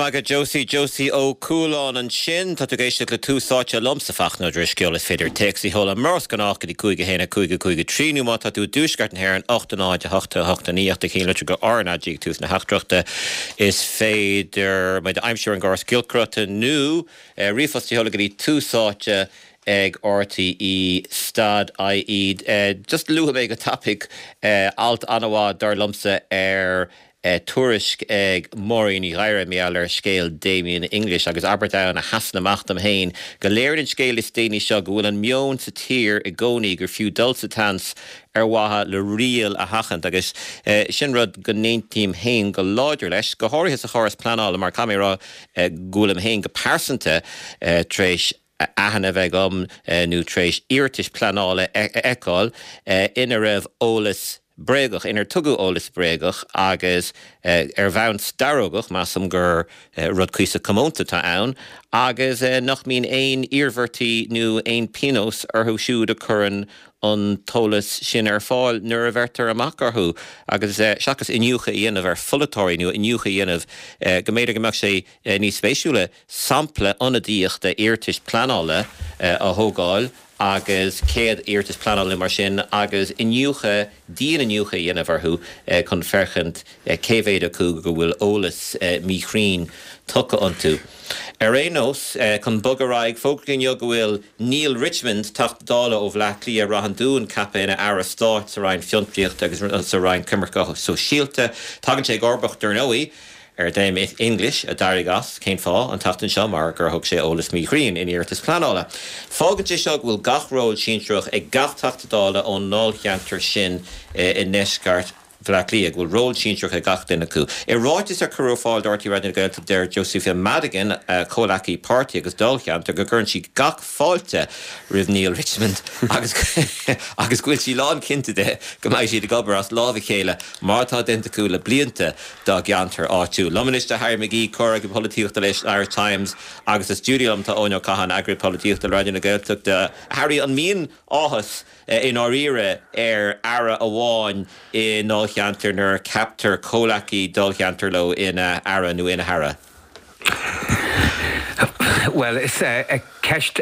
maith agat Josie, Josie Ó Cualáin ansin. Tá tú ag éisteacht le Tús Áite liomsa, Fachtna Ó Drisceoil. Is féidir téacs a sheoladh mar is gnách go dtí 5 1 5 5 3 nó má tá tú i dtuaisceart na hÉireann 8 0 8 8 9 ach do cheannlitir go RnaG ag tús na teachtaireachta. Is féidir muid a aimsiú ar an gcóras giolcaireachta nó ríomhphost a sheoladh go dtí Tús Áite ag RTÉ stad IE. Just luafaidh mé go tapaidh alt an-mhaith dar liomsa ar Tuairisc ag Máirín Ní Ghadhra mar gheall ar scéal Damien English agus abairt ann a sheasann amach dom féin, go léiríonn an scéal is déanaí seo go bhfuil an meon sa tír i gcónaí gur fiú dul sa tseans ar mhaithe le riail a sheachaint agus sin rud go n-aontaím féin go láidir leis, go háirithe sa chóras pleanála mar caithfidh mé a rá go bhfuilim féin go pearsanta tar éis aithne a bheith agam nó tar éis iarratais pleanála a fheiceáil ina raibh eolas bréagach, inar tugadh eolas bréagach agus ar bhonn starógach, measaim gur rud cuíosach comónta atá ann, agus nach mbíonn aon iarmhairtí nó aon pionós orthu siúd a chuireann an t-eolas sin ar fáil nuair a bheirtear amach orthu agus seachas iniúchadh a dhéanamh ar pholaiteoirí nó iniúchadh a dhéanamh go mb'fhéidir go mbeadh sé níos spéisiúla sampla ionadaíoch d'iarratais pleanála a thógáil agus 100 iarratas pleanála nó mar sin agus iniúchadh, dian-iniúchadh a dhéanamh orthu chun féachaint cé mhéad acu go bhfuil eolas míchruinn tugtha iontu. Ar aon nós, chun bogadh ar aghaidh, fógraíodh inniu go bhfuil Neale Richmond, Teachta Dála ó Bhleá Cliath, Ráth an Dúin, ceaptha ina Aire Stáit sa Roinn Fiontraíochta agus sa Roinn Coimirce Sóisialta. Tagann sé i gcomharbacht, dar ndóigh, ar Damien English, a d'éirigh as, cén fáth, an tseachtain seo mar gur thug sé eolas míchruinn in iarratas pleanála. Fágann sé seo go bhfuil gach ról sinsearach ag gach Teachta Dála ón ndáilcheantar sin i ndeisceart Bhaile Átha Cliath, go bhfuil ról sinsearach ag gach duine acu. I ráiteas ar cuireadh ar fáil do RTÉ Raidió na Gaeltachta deir Josepha Madigan, a comhleacaí páirtí agus dáilcheantair, go gcuireann sí gach fáilte roimh Neale Richmond agus agus go bhfuil sí lánchinnte de go mbeidh siad ag obair as lámh a chéile mar atá déanta acu le blianta dá gceantar áitiúil. Liom anois tá Harry McGee, comhfhreagraí polaitíochta leis an Irish Times agus sa stiúideo liom tá Eoin Ó Catháin, eagraí polaitíochta le Raidió na Gaeltachta. Harry, an mbíonn áthas i ndáiríre ar aire amháin i ndáilcheantar nuair a ceaptar comhleacaí dáilcheantair leo ina aire nó ina haire? Bhuel, is ceist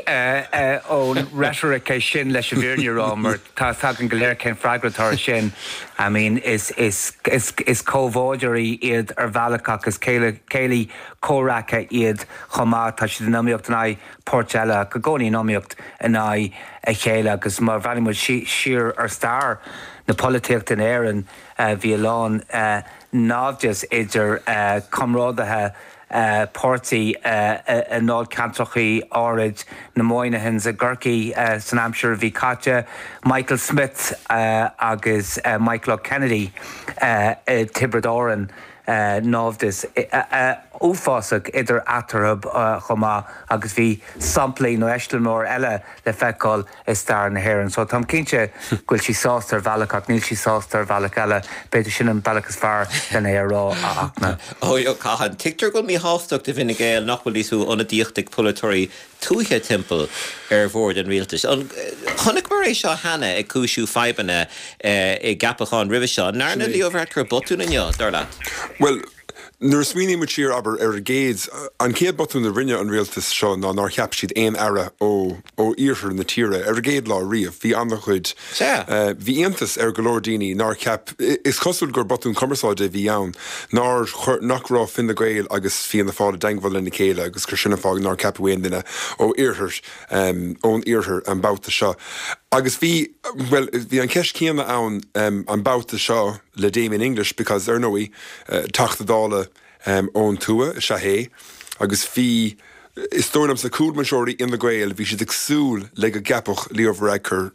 ón reitoric é sin leis an bhfírinne a rá mar tá 'fhios againn go léir cén freagra atá air sin. I mean, is comhbhádóirí iad ar bhealach ach is céilí comhraic iad chomh maith. Tá siad in iomaíocht in aghaidh poirt eile ach i gcónaí in iomaíocht in aghaidh a chéile agus má bhreathnaíonn muid siar ar stair na polaitíochta in Éirinn bhí a lán naimhdeas idir comrádaithe páirtí i ndáilcheantracha áirid, na Moynihans i gCorcaigh san aimsir a bhí caite, Michael Smith agus Michael O Kennedy i dTiobraid Árann, naimhdeas uafásach idir eatarthu chomh maith agus bhí samplaí nó eiseamláir eile le feiceáil i stair na hÉireann. So táim cinnte go bhfuil sí sásta ar bhealach ach níl sí sásta ar bhealach eile. B'fhéidir sin an bealach is fearr len é a rá, a Fhachtna. Eoin Ó Catháin, tuigtear go bhfuil míshástacht i bhFine Gael nach bhfuil níos mó ionadaíochta ag polaiteoirí tuaithe timpeall ar bhord an rialtais. An chonaiceamar é seo cheana ag cúisiú fadhbanna i gceapacháin roimhe seo? An ndearna Leo Varadkar botún inniu, dar leat? Bhuel, Nuair a smaoiníonn muid siar, abair, ar an gcéad, an chéad botún a rinne an rialtas seo ná nár cheap siad aon aire ó, ó iarthar na tíre ar an gcéad lá riamh. Bhí an-chuid, bhí iontas ar go leor daoine nár cheap, is cosúil gur botún cumarsáide a bhí ann, nár chuir, nach raibh Fine Gael agus Fianna Fáil i dteangmháil lena chéile agus gur sin an fáth nár ceapadh aon duine ó iarthar, ón iarthar an babhta seo. Agus bhí, bhuel, bhí an cheist chéanna ann an babhta seo le Damien English because, ar ndóigh, Teachta Dála ón tuath is ea é agus bhí, is dóigh liomsa, cúlbhinseoirí Fhine Gael, bhí siad ag súil le go gceapfadh Leo Varadkar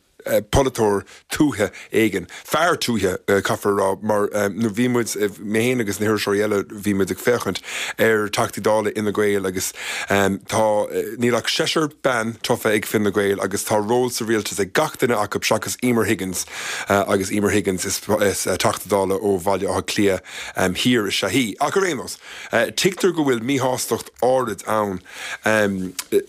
polaiteoir tuaithe éigin, fear tuaithe, caithfear a rá, mar nuair bhí muid, mé féin agus na hiriseoirí eile, bhí muid ag féachaint ar Theachtaí Dála Fhine Gael agus tá, níl ach seisear bean tofa ag Fine Gael agus tá ról sa rialtas ag gach duine acu seachas Emer Higgins. Agus Emer Higgins, is Teachta Dála ó Bhaile Átha Cliath Thiar is ea í. Ach ar aon nós, tuigtear go bhfuil míshástacht áirid ann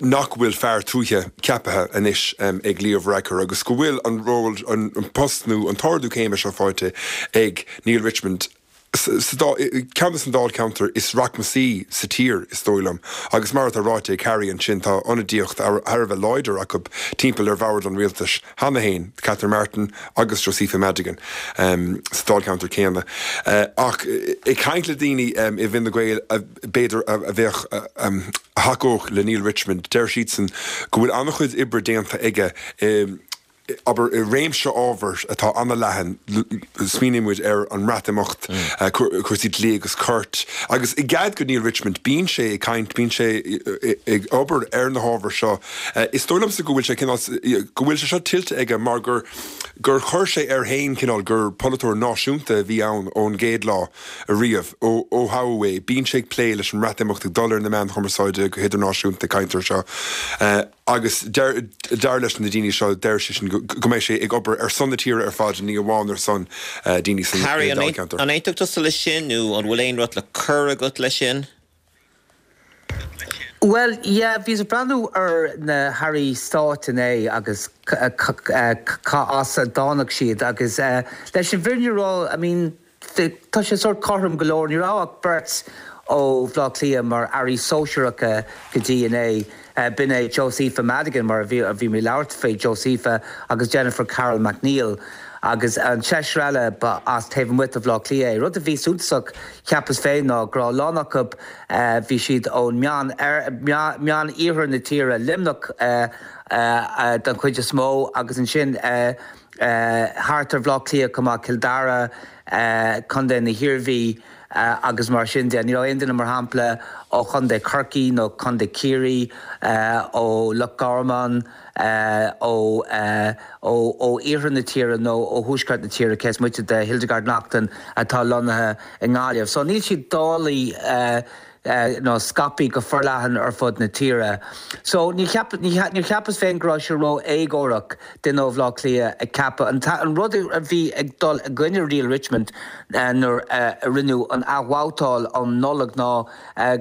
nach bhfuil fear tuaithe ceaptha anois ag Leo Varadkar agus go bhfuil an ról, an post nó an t-ardú céime seo faighte ag Neale Richmond. Sa dá, ceann de na dáilcheantair is rachmasaí sa tír, is dóigh liom, agus mar atá ráite ag Harry ansin, tá ionadaíocht thar a bheith láidir acu timpeall ar bhord an rialtais cheana féin, Catherine Martin agus Josepha Madigan sa dáilcheantar céanna. Ach ag caint le daoine i bhFine Gael b'fhéidir a bheadh, a thacódh le Neale Richmond, deir siadsan go bhfuil an-chuid oibre déanta aige i, abair, i réimse ábhar atá an-leathan, smaoiníonn muid ar an mBreatimeacht, cúrsaí dlí agus cirt, agus i gcead do Neale Richmond, bíonn sé ag caint, bíonn sé ag obair ar na hábhair seo. Is dóigh liomsa go bhfuil sé cineál, go bhfuil sé seo tuillte aige mar gur, gur chuir sé air féin cineál gur polaiteoir náisiúnta a bhí ann ón gcéad lá ariamh, ó toghadh é. Bíonn sé ag plé leis an mBreatimeacht, ag dul ar na meáin chumarsáide go hidirnáisiúnta ag caint air seo. Agus dar leis na daoine seo, deir siadsan go mbeidh sé ag obair ar son na tíre ar fad, ní amháin ar son daoine san Harry, an dáilcheantar. aontódh tusa leis sin nó an bhfuil aon rud le cur agat leis sin? Bhuel, yeah, bhíos ag breathnú ar na hairí stáit inné agus cá as a dtáinig siad agus leis an bhfírinne a rá, I mean, Tá sé sórt cothrom go leor. Ní raibh ach beirt ó Bhaile Átha Cliath mar airí sóisearacha go dtí inné. B'in é Josepha Madigan, mar a bhí a bhí mé ag labhairt faoi Josepha, agus Jennifer Carroll MacNeill. Agus an seisear eile, ba as taobh amuigh de Bhaile Átha Cliath é. Rud a bhí suntasach, cheapas féin, ná go raibh a lán acu, bhí siad ón meán, meán-iarthar na tíre, Luimneach den chuid is mó, agus ansin, thart ar Bhaile Átha Cliath chomh maith, Cill Dara, Contae na hIarmhí agus mar sin de. Ní raibh aon duine, mar shampla, ó Chontae Chorcaí nó Contae Chiarraí, ó Loch Garman, ó ó iarthar na tíre nó ó thuaisceart na tíre, cé is moite de Hildegarde Naughton atá lonnaithe i nGaillimh. So níl siad dáilte nó scaipthe go forleathan ar fud na tíre. So ní cheap, níor cheapas féin go raibh sé ró-éagórach duine ó Bhaile Átha Cliath a cheapadh. An rud a bhí ag dul i gcoinne Neale Richmond nuair a rinneadh an athbhabhtáil um Nollaig ná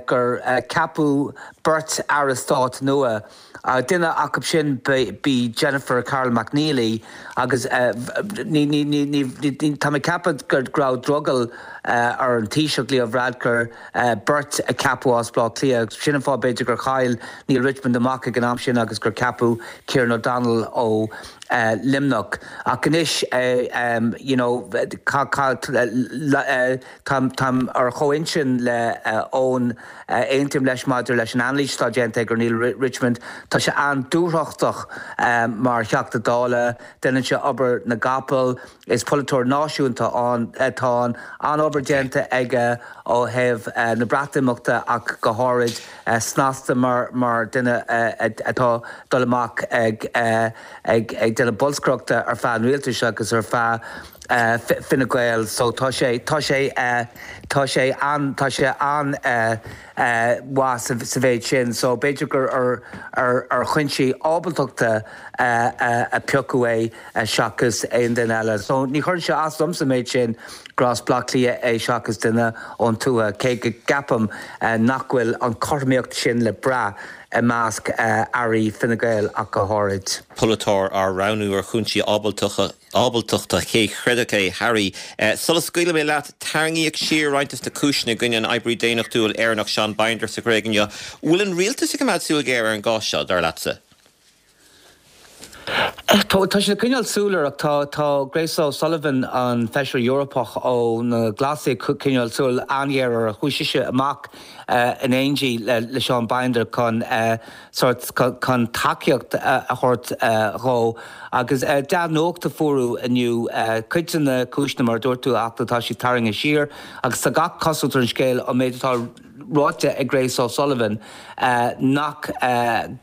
gur ceapadh beirt aire stáit nua. Duine acu sin b'í Jennifer Carroll MacNeill í agus ní, ní, ní, ní, tá mé ag ceapadh go raibh drogall ar an Taoiseach Leo Varadkar beirt a cheapadh as Baile Átha Cliath. Sin an fáth b'fhéidir gur chaill Neale Richmond amach ag an am sin agus gur ceapadh Kieran O'Donnell ó Luimneach. Ach anois you know táim ar chomhintinn le Eoin, aontaím leis maidir leis an anailís atá déanta aige ar Neale Richmond. Tá sé an-dúthrachtach mar Theachta Dála, déanann sé obair na gcapall. Is polaiteoir náisiúnta atá ann. An-obair déanta aige ó thaobh na Breatimeachta ach go háirid. Snasta mar duine atá dul amach ag déanamh bolscaireachta ar feadh an rialtais agus ar feadh Fine Gael. So tá sé, tá sé, tá sé an, tá sé an-mhaith sa mhéid sin. So b'fhéidir gur ar chúinsí ábaltachta a piocadh é seachas aon duine eile. So ní chuireann sé as domsa an méid sin gur as Baile Átha Cliath é seachas duine ón tuath, cé go gceapaim nach bhfuil an chothromaíocht sin le brath i measc airí Fine Gael ach go háirid. Polaiteoir á roghnú ar chúinsí ábaltachta, cé chreidfeadh é? Harry, sula scaoilfidh mé leat, tarraingíodh siar roinnt de na cúiseanna i gcoinne an oibrí daonnachtúil Éireannach Seán Binder sa Ghréig inniu. Bhfuil an rialtas ag coimeád súil ghéar ar an gcás seo, dar leatsa? Tá siad ag coinneáil súil air ach tá tá Grace O'Sullivan, an Feisire Eorpach ó na Glasaigh ag coinneáil súil an-ghéar air. Chuaigh sise amach in éindí le Seán Binder chun sórt chun tacaíocht a thabhairt dhó agus dea-nuacht a fuaireadh inniu. Cuid de na cúiseanna, mar a dúirt tú, ach tá siad tarraingthe siar agus tá gach cosúlacht ar an scéal an méid atá ráite ag Grace O'Sullivan nach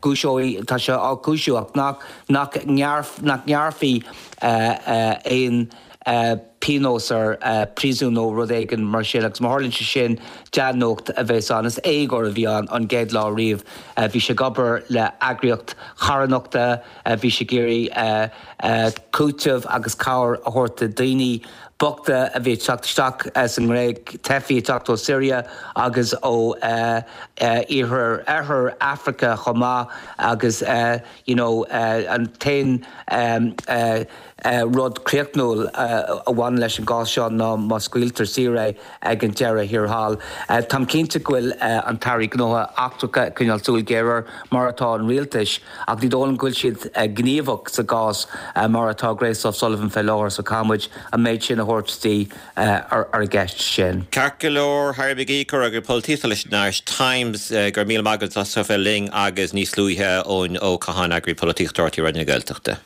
gcúiseoidh, tá sé á chúisiú ach nach nach ngearrfaí aon pionós air, príosún nó rud éigin mar sin agus má tharlaíonn sé sin, dea-nuacht a bheas ann. Is éagóir a bhí ann an gcéad lá riamh. Bhí sé ag obair le eagraíocht charthanachta, bhí sé ag iarraidh cúiteamh agus cabhair a thabhairt do dhaoine. bochta a bhí ag teacht isteach sa nGréig, teifigh ag teacht ó Syria agus ó iarthar oirthear Africa chomh maith agus you know an t-aon rud críochnúil a bhaineann leis an gcás seo ná má scaoiltear saor é ag an deireadh thiar thall. Táim cinnte go bhfuil an tAire Gnóthaí Eachtracha ag coinneáil súil ghéar air, mar atá an rialtas, ach ní dóigh liom go bhfuil siad gníomhach sa gcás mar atá Grace O'Sullivan fé láthair, so caithfidh muid an méid sin a thabhairt di ar an gceist sin. Ceart go leor, Harry McGee, Eagraí Polaitíochta leis an Irish Times, go raibh míle maith agat as a bheith linn agus níos luaithe Eoin Ó Catháin, Eagraí Polaitíochta RTÉ Raidió na Gaeltachta.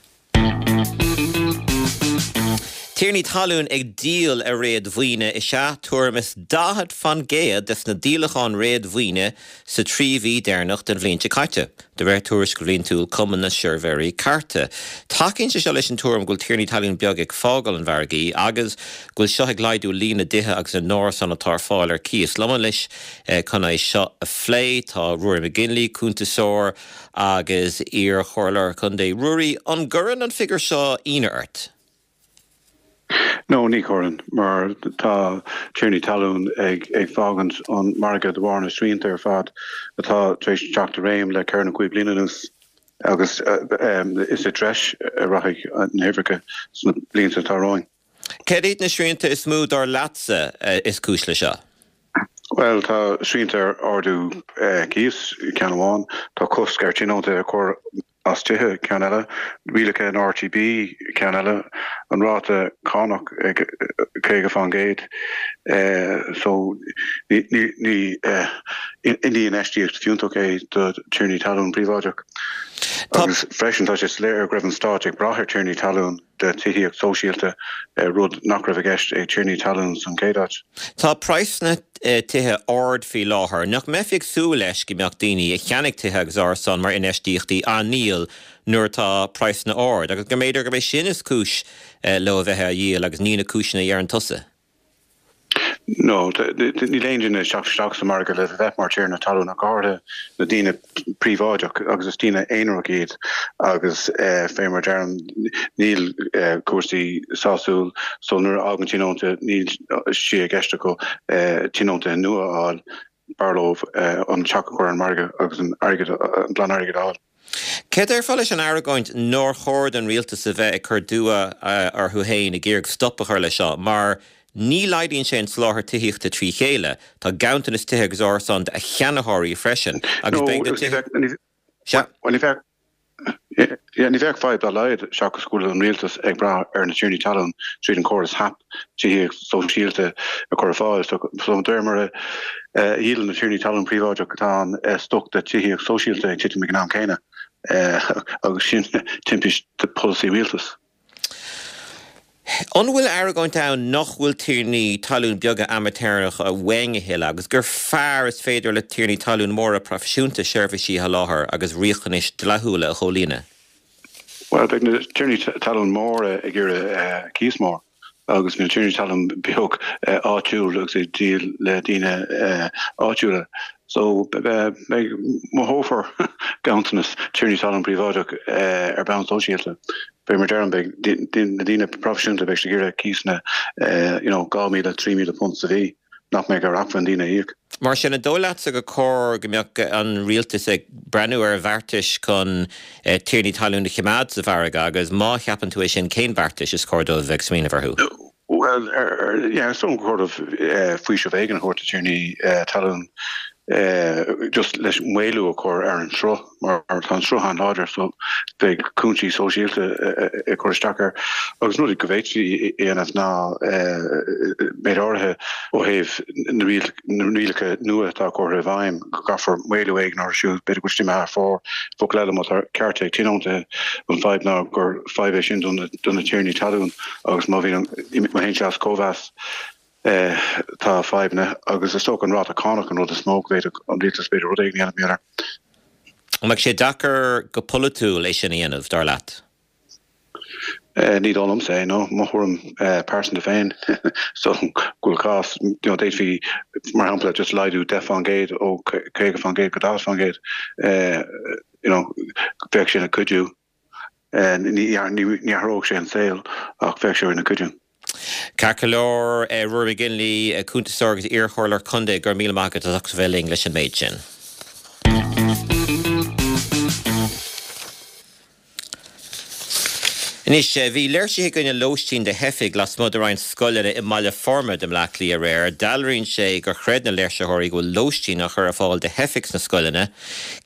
Tiarnaí talún ag díol a réadmhaoine is ea tuairim is 40 fan gcéad des na díolacháin réadmhaoine sa trí mhí deireanach den bhliain seo caite, de réir tuairisc bhliantúil Cumann na Suirbhéirí Cairte. Tacaíonn sé seo leis an tuairim go bhfuil tiarnaí talún beaga ag fágáil an mhargaidh agus go bhfuil seo ag laghdú líon na dtithe agus na n-árasán atá ar fáil ar cíos. Liom anois chun é seo a phlé tá Ruairí McGinley, cuntasóir, agus iar-chomhairleoir contae. Ruairí, an gcuireann an figiúr seo ionadh ort? No, ní chuireann, mar tá tiarnaí talún ag fágaint an margadh de bharr na srianta ar fad atá tar éis teacht i réim le ceithre nó cúig bliana anuas agus is i dtreis a rachaidh na huimhreacha sna blianta atá romhainn. Céard iad na srianta is mó, dar leatsa, is cúis le seo? Bhuel, tá srianta ar ardú cíos, ceann amháin. Tá cosc ar tionóntaithe a chur as tithe, ceann eile. Rialacha an RTB, ceann eile. An ráta cánach ag 50%. So, ní infheistíocht fiúntach é do tiarnaí talún príobháideach. Agus freisin, tá sé soiléir go raibh an stát ag brath ar tiarnaí talún. do tithíocht sóisialta, rud nach raibh i gceist ag tiarnaí talún san chéad áit. Tá praghsanna tithe ard faoi láthair. Nach mbeifí ag súil leis go mbeadh daoine a cheannaigh tithe agus árasáin mar infheistíochtaí á ndíol nuair atá praghsanna ard, agus go mb'fhéidir gurb é sin is cúis leo a bheith á dhíol agus ní na cúiseanna a dheireann tusa? No, níl aon duine ag teacht isteach sa margadh le bheith mar tiarna talún, ach go háirithe na daoine príobháideach, agus is daoine aonarach iad agus fé mar deirim, níl cúrsaí sásúil so nuair a fhágann tionónta níl sé i gceist acu tionóntaithe nua a fháil, b'fhearr leo an teach a chur ar an margadh agus an airgead, an glan-airgead a fháil. Céard a déarfá leis an argóint nár chóir don rialtas a bheith ag cur dua orthu féin ag iarraidh stop a chur leis seo mar ní laghdaíonn sé an soláthar tithíochta trí chéile, tá ganntanas tithe agus árasán do cheannaitheoirí freisin agus beidh na tithe. Sea. Ní bheadh, ní bheadh fadhb dá laghad seachas go bhfuil an rialtas ag brath ar na tiarnaí talún tríd an córas HAP, tithíocht sóisialta, a chur ar fáil. So de réir mar a dhíolann na tiarnaí talún príobháideach tá an stoc de tithíocht sóisialta ag titim ag an am céanna agus sin timpiste polasaí rialtais. An bhfuil argóint ann nach bhfuil tiarnaí talún beaga amaitéaracha uainn a thuilleadh agus gur fearr is féidir le tiarnaí talún móra proifisiúnta seirbhísí a sholáthar agus riachtanais dlíthiúla a chomhlíonadh? Bhuel, beidh na tiarnaí talún móra ag iarraidh cíos mór agus na tiarnaí talún beag áitiúil agus ag díol le daoine áitiúla. So, beidh, mothófar ganntanas tiarnaí talún príobháideach ar bhonn sóisialta. Fé mar deirim, beidh na daoine proifisiúnta, beidh siad ag iarraidh cíosanna, you know, £2,000, £3,000 sa mhí, nach mbeidh ar acmhainn daoine a íoc. Mar sin, an dóigh leatsa gur cóir go mbeadh an rialtas ag breathnú ar bheartais chun tiarnaí talún a choimeád sa mhargadh agus má cheapann tú é sin, cén beartais is cóir dóibh a bheith ag smaoineamh orthu? Bhuel, yeah, is dóigh gur chóir dóibh faoiseamh éigin a thabhairt do tiarnaí talún just leis maolú a chur ar an sruth mar tá an sruth an-láidir so beidh cúinsí sóisialta ag cur isteach air. Agus rud go bhféadfaí a dhéanamh ná méid áirithe ó thaobh na rialacha nua atá curtha i bhfeidhm go gcaithfear maolú éigin orthu siúd, b'fhéidir go bhfuil siad imithe thar fóir. Focal eile, má tá cearta ag tionóntaithe, an fadhb ná gur fadhb é sin do na tiarnaí talún. Agus má bhíonn, má théann sé as cóimheas, tá fadhbanna agus is dócha an ráta cánach an rud is mó go bhféadfadh an rialtas b'fhéidir rud éigin a dhéanamh air. An mbeadh sé deacair go polaitiúil é sin a dhéanamh, dar leat? Ní dóigh liomsa é, no. Mo thuairim pearsanta féin, so go bhfuil cás, you know, d'fhéadfaí, mar shampla, just laghdú 10% ó 50% go 40%, you know, bheadh sin ag cuidiú. Ní athródh sé an saol ach bheadh sé ina chuidiú. Ceart go leor, Ruairí McGinley, cuntasóir agus iarchomhairleoir contae, go raibh míle maith agat as ucht a bheith linn leis an méid sin. Anois, bhí léirsithe i gcoinne lóistín do theifigh lasmuigh de roinnt scoileanna i mBaile Formaid i mBleá Cliath aréir. Dealraíonn sé gur chreid na léirsitheoirí go bhfuil lóistín á chur ar fáil do theifigh sna scoileanna,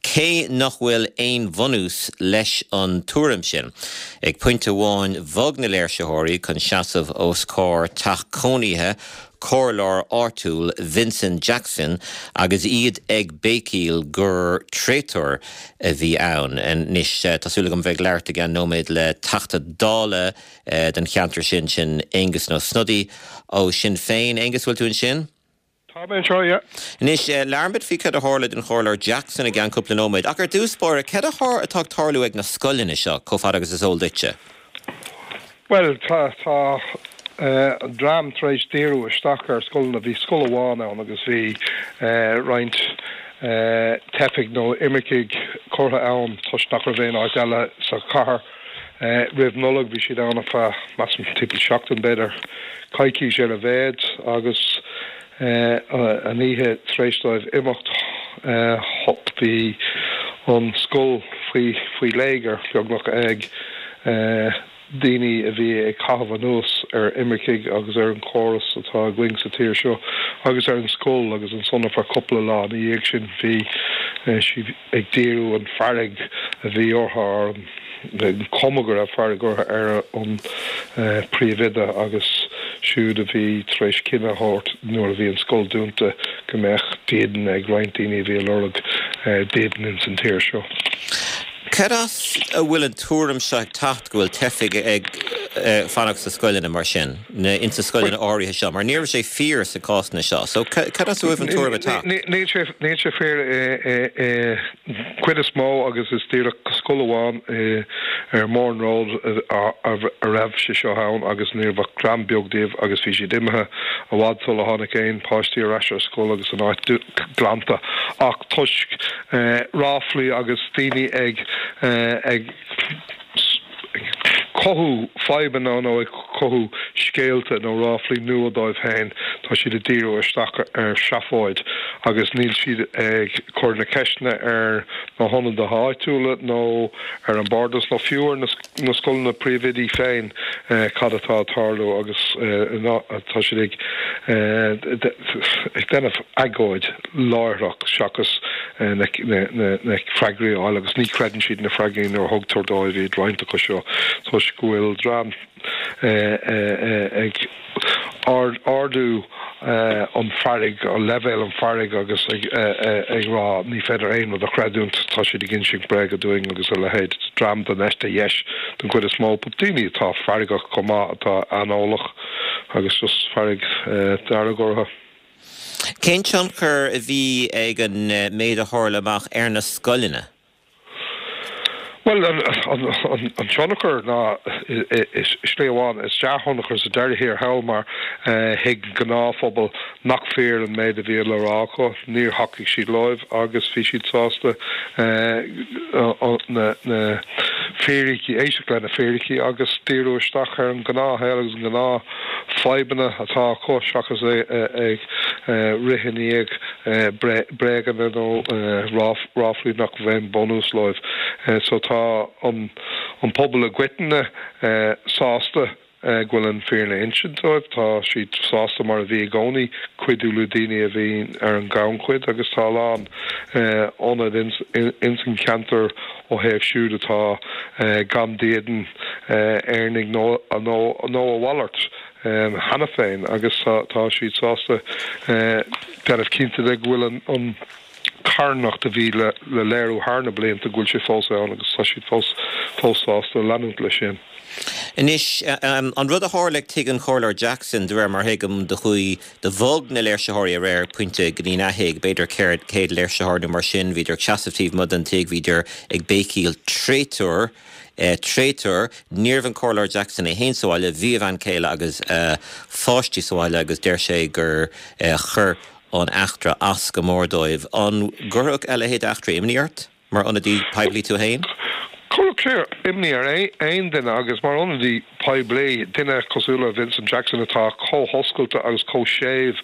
cé nach bhfuil aon bhunús leis an tuairim sin. Ag pointe amháin bhog na léirsitheoirí chun seasamh os comhair teach cónaithe comhairleoir áitiúil Vincent Jackson agus iad ag béicíl gur tréatúr a bhí ann. Anois, tá súil agam bheith ag labhairt i gceann nóiméad le Teachta Dála don cheantar sin, sin Aengus Ó Snodaigh ó Sinn Féin. Aengus, bhfuil tú ansin? Tá mé anseo, yeah. Anois, labhróimid faoi cad a tharla don Chomhairleoir Jackson i gceann cúpla nóiméad. Ach ar dtús báire, cad atá ag tarlú ag na scoileanna seo, chomh fada agus is eol duitse? Bhuel, tá, tá an dream tar éis díriú isteach ar scoileanna. Bhí scoil amháin ann agus bhí roinnt teifigh nó imircigh curtha ann toisc nach raibh aon áit eile sa chathair. Roimh Nollaig bhí siad ann ar feadh, measaim, timpeall seachtain, b'fhéidir coicís ar a mhéad, agus an oíche tar éis dóibh imeacht bhí an scoil faoi faoi léigear, beagnach, ag daoine a bhí ag caitheamh anuas ar imircigh agus ar an chóras atá againn sa tír seo agus ar an scoil agus ansan ar feadh cúpla lá ina dhiaidh sin bhí siad ag díriú an fearg a bhí orthu, ar an chuma go raibh fearg orthu ar an príomhoide agus siúd a bhí tar éis cinneadh a thabhairt nuair a bhí an scoil dúnta go mbeadh dídean ag roinnt daoine a bhí ag lorg dídean ins an tír seo. Cad as a bhfuil an tuairim seo ag teacht go bhfuil teifigh ag fanacht sna scoileanna mar sin, nó ins na scoileanna áirithe seo, mar ní raibh sé fíor sna cásanna seo. So cad as a bhfuil an tuairim ag teacht? Níl sé, níl sé fíor i gcuid is mó agus is díreach scoil amháin ar Mourne Road a raibh sé seo ann agus ní raibh ach dream beag díobh agus bhí siad imithe i bhfad sula tháinig aon páistí ar ais ar scoil agus an áit glanta ach toisc ráflaí agus daoine ag ag cothú fadhbanna nó ag cothú scéalta nó ráflaí nua dóibh féin, tá siad ag díriú isteach ar seafóid agus níl siad ag cur na ceisteanna ar na hionadaithe áitiúla nó ar an Bhardas nó fiú ar na na scoileanna príomhoidí féin cad atá ag tarlú agus tá siad ag ag déanamh agóid láithreach seachas na freagraí a fháil agus ní chreideann siad na freagraí nuair a thugtar dóibh iad roinnt acu seo toisc go bhfuil dream ag ardú an fearg, leibhéal an fearg agus ag rá ní féidir aon rud a chreidiúint, tá siad ag insint bréaga dúinn agus a leithéid. Dream den eite dheis den chuid is mó, but daoine atá feargach chomh maith, atá aineolach agus just fearg dearg orthu. Cén tionchar a bhí ag an méid a tharla amach ar na scoileanna? Bhuel, an tionchar ná, i slí amháin, is dea-thionchar sa deireadh thiar thall mar thuig an gnáthphobal nach fíor an méid a bhí le rá acu, níor thacaigh siad leo agus bhí siad sásta na fíricí, éisteacht le na fíricí agus díriú isteach ar an ngnáthshaol agus an gnáthfhadhbanna atá acu seachas ag rith i ndiaidh bréaganna nó ráflaí nach bhfuil aon bunús leo. So tá an pobal i gcoitinne sásta go bhfuil an fírinne inste dóibh, tá siad sásta mar a bhí i gcónaí cuidiú le daoine a bhí ar an ngannchuid agus tá a lán ionad ins an cheantar ó thaobh siúd atá gan dídean, Éireannaigh nó a mhalairt. cheana féin agus tá siad sásta déanamh cinnte de go bhfuil an carthanacht a bhí le léiriú thar na blianta, go bhfuil sé fós ann agus tá siad fós fós sásta leanúint leis sin. Anois, an rud a tharla ag tigh an Chomhairleoir Jackson, de réir mar a thuigim, do chuaigh, do bhog na léirsitheoirí aréir ag pointe go dtí a thigh, b'fhéidir 100 léirsitheoir nó mar sin, bhíodar ag seasamh taobh amuigh den tigh, bhíodar ag béicíl 'traitor', Traitor. Ní raibh an Comhairleoir Jackson é féin sa bhaile, bhí a bhean chéile agus a pháistí sa bhaile agus deir sé gur chuir an eachtra as go mór dóibh. An gcuirfeadh a leithéid d'eachtra imní ort, mar ionadaí poiblí tú féin? Chuirfeadh sé imní ar aon duine agus mar ionadaí poiblí, duine cosúil le Vincent Jackson atá chomh hoscailte agus chomh séimh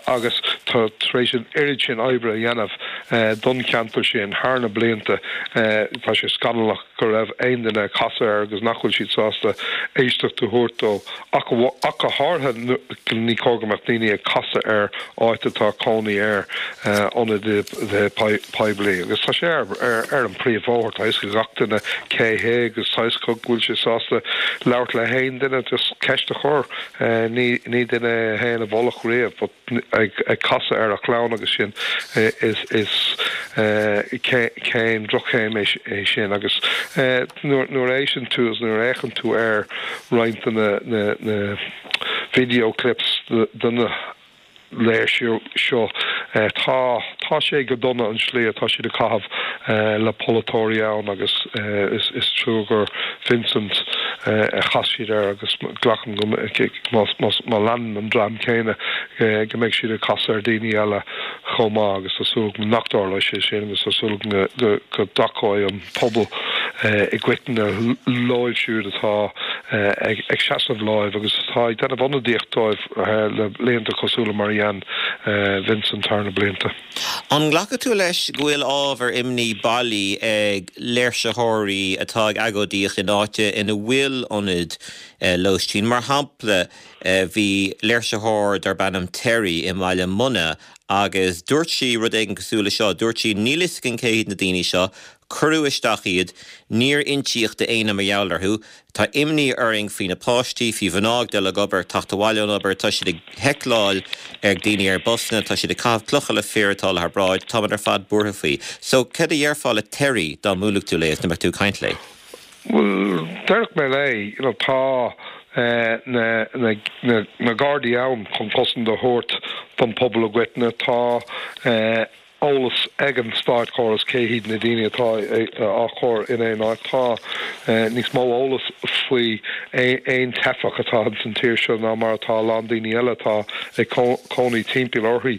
agus tá tar éis an oiread sin oibre a dhéanamh don cheantar sin thar na blianta, tá sé scannalach go raibh aon duine ag casadh air agus nach bhfuil siad sásta éisteacht a thabhairt dó. Ach go háirithe, ní cóir go mbeadh daoine ag casadh ar áit atá cónaí ar ionadaí poiblí. Agus tá sé ar an príomhbhóthar, tá a fhios ag gach duine cé hé agus tá a fhios acu go bhfuil sé sásta labhairt le haon duine, just ceist a chur. Ní duine é a théann i bhfolach riamh but ag casadh ar a chlann agus sin, is céim, droch-chéim é sin. Agus nuair a éisteann tú agus nuair a fhéachann tú ar roinnt de na video clips de na léirsiú seo, tá tá sé go dona an slí atá siad ag caitheamh le polaiteoirí ann agus is trua gur Vincent a chas siad air agus glacaim go má leanann an dream céanna go mbeidh siad ag casadh ar daoine eile chomh maith agus tá súil agam nach dtarlóidh sé sin agus tá súil agam go dtacóidh an pobal i gcoitinne leo siúd atá ag seasamh leo agus atá ag déanamh ionadaíocht dóibh le blianta cosúil le mar a dhein Vincent thar na blianta. An nglacfaidh tú leis go bhfuil ábhar imní bailí ag léirsitheoirí atá ag agóidíocht in áit ina bhfuil ionad lóistín? Mar shampla, bhí léirsitheoir darb ainm Terry i mBaile Munna agus dúirt sí rud éigin cosúil le seo, dúirt sí, 'Níl fhios againn cé hiad na daoine seo, cuireadh isteach iad, níor insíodh d'éinne mar gheall orthu, tá imní orainn faoi na páistí, faoi mhná ag dul ag obair, ag teacht abhaile ón obair, tá siad ag heicleáil ar daoine ar busanna, tá siad ag caitheamh clocha le fir atá thar bráid, táimid ar fad buartha faoi. So, cad a dhéarfá le Terry dá mbuailfeadh tú léi agus dá mbeadh tú ag caint léi? Bhuel, déarfadh mé léi, you know, tá na, na, na, na Gardaí ann chun cosaint a thabhairt don pobal i gcoitinne, tá eolas ag an státchóras cé hiad na daoine atá á chur in aon áit, tá níos mó eolas faoi aon teifeach atá ins an tír seo ná mar atá a lán daoine eile atá ag cónaí timpeall uirthi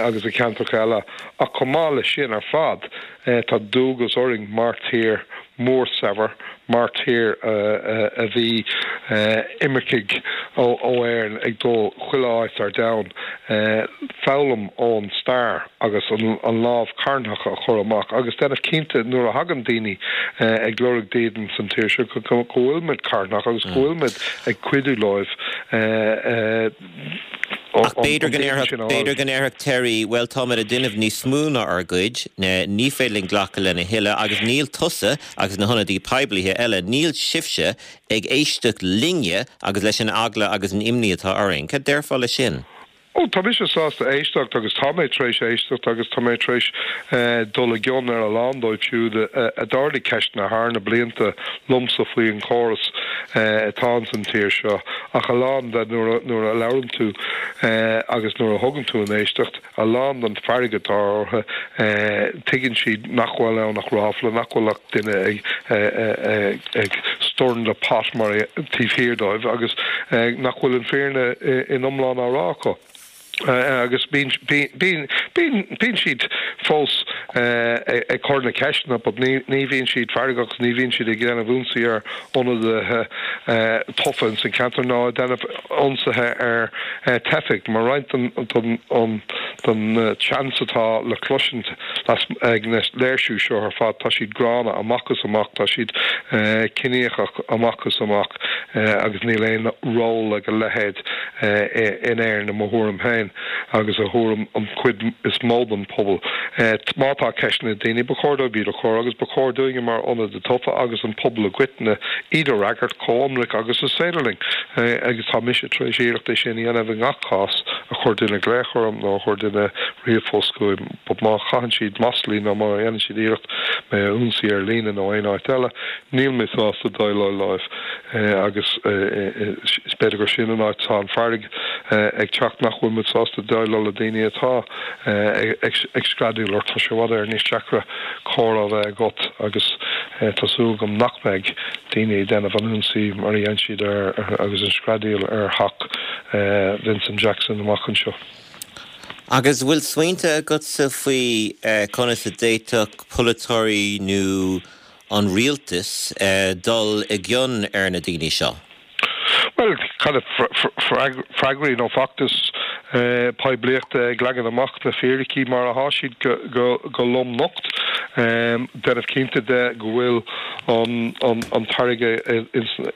agus i gceantracha eile. Ach chomh maith leis sin ar fad, Tá dualgas orainn mar tír mór saibhir, mar tír a bhí imircigh ó Éirinn ag dul chuile áit ar domhan, foghlaim ón stair agus an lámh carthanach a chur amach agus déanamh cinnte nuair a thagann daoine ag lorg dídean san tír seo go bhfuil muid carthanach agus go bhfuil muid ag cuidiú leo. Ach b'fhéidir go ndéarfadh, b'fhéidir go ndéarfadh Terry, bhuel táimid ag déanamh níos mó ná ár gcuid, ní féidir linn glacadh lena thuilleadh agus níl tusa agus na hionadaí poiblithe eile, níl sibhse ag éisteacht linne agus leis an eagla agus an imní atá orainn. Cad déarfá le sin? Ó, tá mise sásta éisteacht agus tá mé tar éis éisteacht agus tá mé tar éis dul i gcion ar a lán dóibh siúd a d'ardaigh ceisteanna thar na blianta liomsa faoi an chóras atá ins an tír seo. Ach a lán de, nuair a labhrann tú agus nuair a thugann tú an éisteacht, a lán den fearg atá orthu, tuigeann siad nach bhfuil ann ach ráfla, nach bhfuil ach duine ag stirring the pot mar taobh thiar dóibh agus nach bhfuil an fírinne in iomlán á rá acu. Agus bíonn siad fós ag cur na ceisteanna but ní bhíonn siad feargach agus ní bhíonn siad ag déanamh ionsaí ar ionadaithe tofa ins an ceantar ná ag déanamh ionsaithe ar teifigh. Mar roinnt den teannas atá le cloisint ag na léirsiú seo ar fad, tá siad gránna amach is amach, tá siad ciníochach amach is amach agus níl aon ról ag a leithéid in Éirinn, i mo thuairim féin agus i thuairim an chuid is mó den phobal. Má tá ceisteanna ag daoine, ba chóir dóibh iad a chur agus ba chóir dúinne mar ionadaithe tofa agus an pobal i gcoitinne iad a fhreagairt chomh hionraic agus is féidir linn. Agus tá mise tar éis iarracht é sin a dhéanamh i ngach cás a chuir duine glaoch orm nó a chuir duine ríomhphost chugam. But má chaitheann siad maslaí nó má dhéanann siad iarracht mé a ionsaí ar líne nó aon áit eile, níl mé sásta déileáil leo. Agus is b'fhéidir gur sin an áit atá an fearg ag teacht, nach bhfuil muid sásta déileáil le daoine atá ag screadaíl ort. Tá sé i bhfad Éireann níos deacra comhrá a bheith agat agus tá súil agam nach mbeidh daoine ag déanamh an ionsaí mar a dhein siad ar agus an screadaíl ar theach Vincent Jackson amach anseo. Agus bhfuil smaointe agatsa faoi conas a d'fhéadfadh polaiteoirí nó. an rialtas dul i gcion ar na daoine seo? Bhuel, kind of freagraí nó feachtas poiblíochta ag leagan amach na fíricí mar atá siad go lom nocht, déanamh cinnte de go bhfuil an t-airgead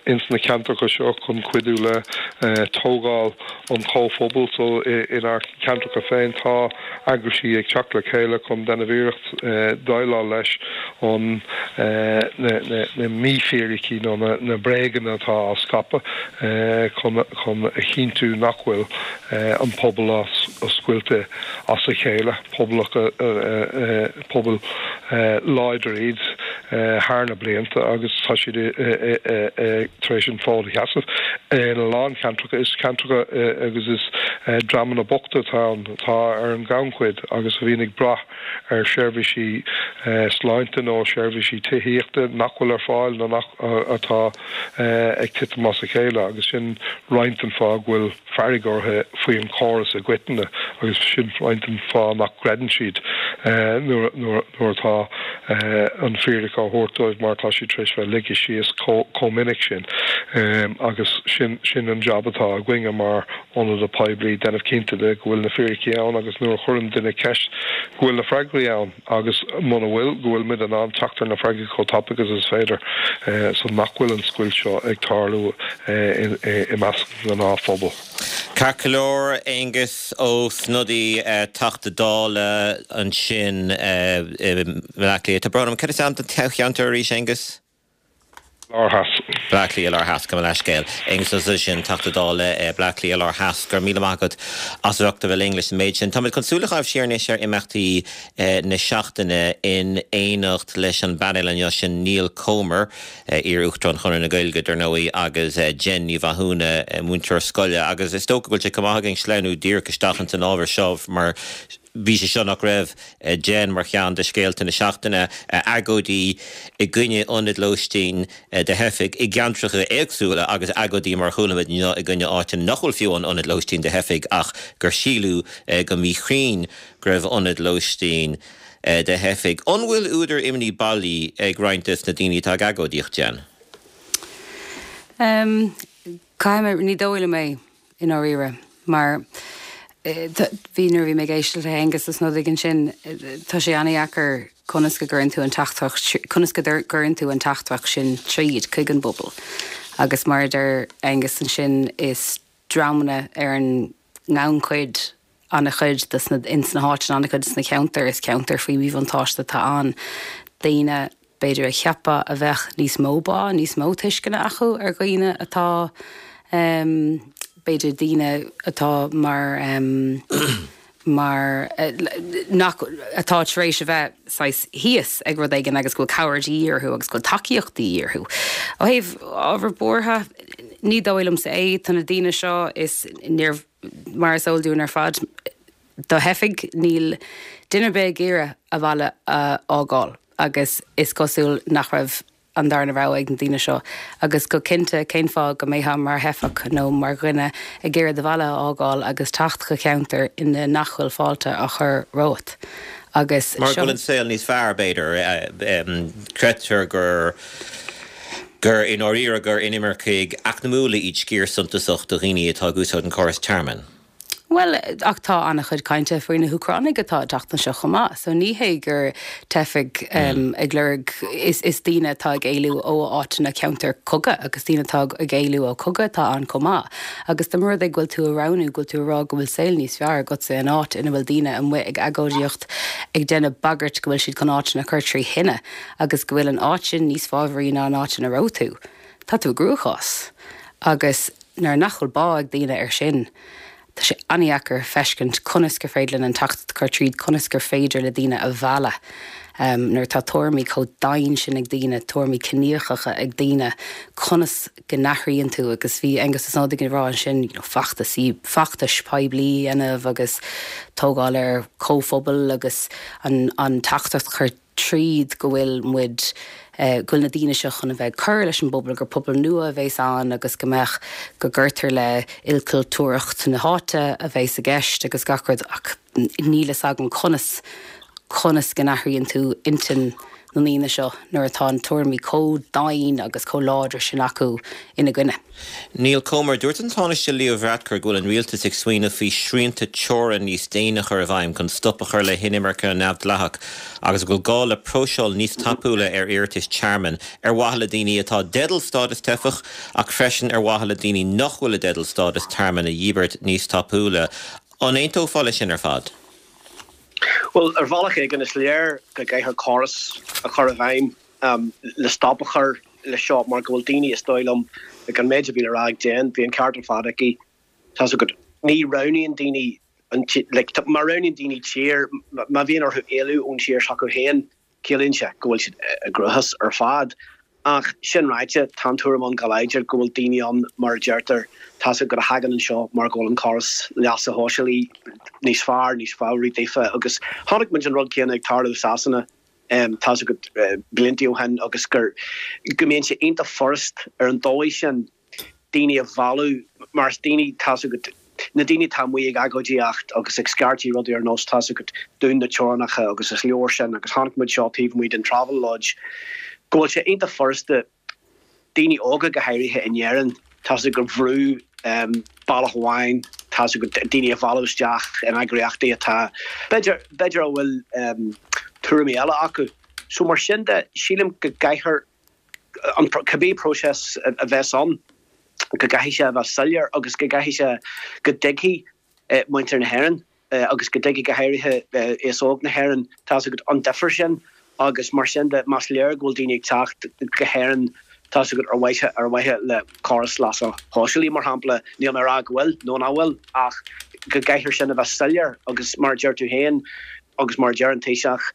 ins na ceantracha seo chun cuidiú le tógáil an chomhphobail. So inár gceantracha féin tá eagraisí ag teacht le chéile chun déanamh iarracht déileáil leis an na mífhíricí nó na bréaganna atá á scaipeadh chun a chinntiú nach bhfuil an pobal á scoilteadh as a chéile, pobail láidir iad thar na blianta agus tá siad tar éis an fód a sheasamh. In a lán ceantracha, is ceantracha agus is dreamanna bochta atá ann, atá ar an ngannchuid agus a bhíonn ag brath ar sheirbhísí sláinte nó seirbhísí tithíochta nach bhfuil ar fáil nó nach atá ag titim as a chéile agus sin roinnt den fáth go bhfuil fearg orthu faoin chóras i gcoitinne agus sin roinnt den fáth nach gcreideann siad nuair atá an fhíric á thabhairt dóibh mar tá siad tar éis bheith ligthe síos chomh minic sin agus sin sin an jab atá againne mar ionadaithe poiblí, déanamh cinnte de go bhfuil na fíricí ann agus nuair a chuireann duine ceist go bhfuil na freagraí ann agus muna bhfuil, go bhfuil muid in ann teacht ar na freagraí chomh tapaidh agus is féidir so nach bhfuil an scoilt seo ag tarlú i measc an ghnáthphobail. Ceart go leor, Aengus Ó Snodaigh, Teachta Dála ansin i mBleá Cliath. Tá brón orm, cad is ainm don toghcheantar arís, Aengus? Lár Theas. Bleá Cliath Lár Theas, gabh mo leithscéal. Aengus Ó Snodaigh sin, Teachta Dála, Bleá Cliath Lár Theas. Go raibh míle maith agat as ucht a bheith linn leis an méid sin. Táimid chun súil a chaitheamh siar anois ar imeachtaí na seachtaine in éineacht leis an bpainéal inniu sin Niall Comer, iar-Uachtarán Chonradh na Gaeilge, dar ndóigh, agus Jen Ní Mhathúna, múinteoir scoile. Agus is dócha go bhfuil sé chomh maith againn sleamhnú díreach isteach ins an ábhar seo mar bhí sé seo nach raibh, Jen, mar cheann de scéalta na seachtaine, agóidí i gcoinne ionaid lóistín do theifigh i gceantracha éagsúla agus agóidí mar a chuala muid inniu i gcoinne áiteanna nach bhfuil fiú amháin ionad lóistín do theifigh ach gur síleadh go míchruinn go raibh ionad lóistín do theifigh. An bhfuil údar imní bailí ag roinnt des na daoine atá ag agóidíocht, Jen? Caithfidh mé, ní dóigh liom é. i ndáiríre, mar bhí, nuair a bhí mé ag éisteacht le hAengus Ó Snodaigh ansin, tá sé an-dheacair conas go gcuireann tú an teachtaireacht, conas go gcuireann tú an teachtaireacht sin tríd chuig an bpobal. Agus mar a deir Aengus ansin, is dreamanna ar an ngannchuid an-chuid de sna, ins na háiteanna, an-chuid de sna ceantair, is ceantair faoi mhíbhuntáiste atá ann, daoine, b'fhéidir a cheapfá a bheadh níos mó bá, níos mó tuisceana acu ar dhaoine atá, b'fhéidir daoine atá mar, mar, nach, atá tar éis a bheith saghas thíos ag rud éigin agus go bhfuil cabhair de dhíth orthu agus go bhfuil tacaíocht de dhíth orthu. Ó thaobh ábhar buartha, ní dóigh liomsa é, tá na daoine seo is níor, mar is eol dúinn ar fad, do theifigh, níl duine ar bith ag iarraidh a bhaile a fhágáil agus is cosúil nach raibh an darna rogha ag na daoine seo. Agus go cinnte, cén fáth go mbeifeá mar theifeach nó mar dhuine ag iarraidh do bhaile a fhágáil agus teacht go ceantar ina nach bhfuil fáilte á chur romhat? Agus Mar go bhfuil an saol níos fearr, b'fhéidir. Creidtear gur gur i ndáiríre gur inimircigh eacnamúla iad sciar suntasach de dhaoine atá ag úsáid an córas tearmainn. Bhuel, ach tá an-chuid cainte faoi na hÚcránaigh atá ag teacht anseo chomh maith, so ní hé gur teifigh ag lorg, is daoine atá ag éalú ó áiteanna ceantar cogaidh agus daoine atá ag éalú ó chogadh atá ann chomh maith. Agus dá mba rud é go bhfuil tú a roghnú, go bhfuil tú a rá go bhfuil saol níos fearr agatsa in áit ina bhfuil daoine amuigh ag agóidíocht ag déanamh bagairt go bhfuil siad chun áiteanna a chur trí thine agus go bhfuil an áit sin níos fábhraí ná an áit ina raibh tú, tá tú i gcruachás. Agus nuair nach bhfuil bá ag daoine air sin, tá sé an-dheacair feiscint conas gur féidir linn an teachtaireacht a chur tríd, conas gur féidir le daoine a mhealladh nuair atá tuairimí chomh domhain sin ag daoine, tuairimí ciníochacha ag daoine, conas go n-athraíonn tú agus bhí Aengus Ó Snodaigh ag rá ansin, you know, feachtasaí, feachtais poiblí a dhéanamh agus tógáil ar chomhphobail agus an, an teachtaireacht a chur tríd go bhfuil muid, go bhfuil na daoine seo chun a bheith ag cur leis an bpobal, gur pobal nua a bheas ann agus go mbeadh, go gcuirtear le ilchultúrthacht na háite a bheas i gceist agus gach rud ach níl fhios agam conas, conas go n-athraíonn tú intinn. na ndaoine seo nuair atá na tuairimí chomh domhain agus chomh láidir sin acu ina gcoinne. Niall Comer, Dúirt an Tánaiste Leo Varadkar go bhfuil an rialtas ag smaoineamh faoi shrianta teorann níos déine a chur i bhfeidhm chun stop a chur le hinimirce neamhdhleathach agus go bhfuil gá le próiseáil níos tapúla ar iarratais tearmainn ar mhaithe le daoine atá i dteideal stádas teifeach ach freisin ar mhaithe le daoine nach bhfuil i dteideal stádas tearmainn a dhíbirt níos tapúla. An aontófá leis sin ar fad? Bhuel, ar bhealach éigin, is léir go gcaithfear córas a chur i bhfeidhm le stop a chur leis seo mar go bhfuil daoine, is dóigh liom, ag an méid a bhí le rá ag Jen, bhí an ceart ar fad aici. Tá's agat, ní roghnaíonn daoine an, like, má roghnaíonn daoine tír, má bhíonn orthu éalú ón tír s'acu féin, Ciallaíonn sé go bhfuil siad i gcruachás ar fad. Ach sin ráite, tá an tuairim ann go láidir go bhfuil daoine ann, mar a deirtear, tá's agat, a thagann anseo mar go bhfuil an córas leasa shóisialaigh níos fearr, níos fabhraí daofa agus chonaic muid an rud céanna ag tarlú i Sasana, tá's agat, blianta ó shin agus gur, go mbíonn sé iontach furast ar an dóigh sin daoine a mhealladh mar is daoine, tá's agat, na daoine atá amuigh ag agóidíocht agus ag scairtigh rudaí ar nós, tá's agat, dún na teorainneacha agus is leor sin agus chonaic muid seo taobh amuigh den Travelodge, go bhfuil sé iontach furasta daoine óga go háirithe in Éirinn, tá's agat, a bhrú bealach amháin, tá's agat, daoine a mhealladh isteach in eagraíochtaí atá, b'fhéidir, b'fhéidir a bhfuil tuairimí eile acu. So mar sin de, sílim go gcaithfear an cibé próiseas a bheas ann, go gcaithfidh sé a bheith soiléir agus go gcaithfidh sé go dtuigfidh muintir na hÉireann agus go dtuigfidh go háirithe aos óg na hÉireann, tá's agat, an difear sin agus mar sin de más léir go bhfuil daoine ag teacht go hÉirinn, tá's agat, ar mhaithe ar mhaithe le córas leasa shóisialaigh mar shampla, níl mé ag rá go bhfuil nó nach bhfuil ach go gcaithfear sin a bheith soiléir agus mar a deir tú féin agus mar a deir an Taoiseach,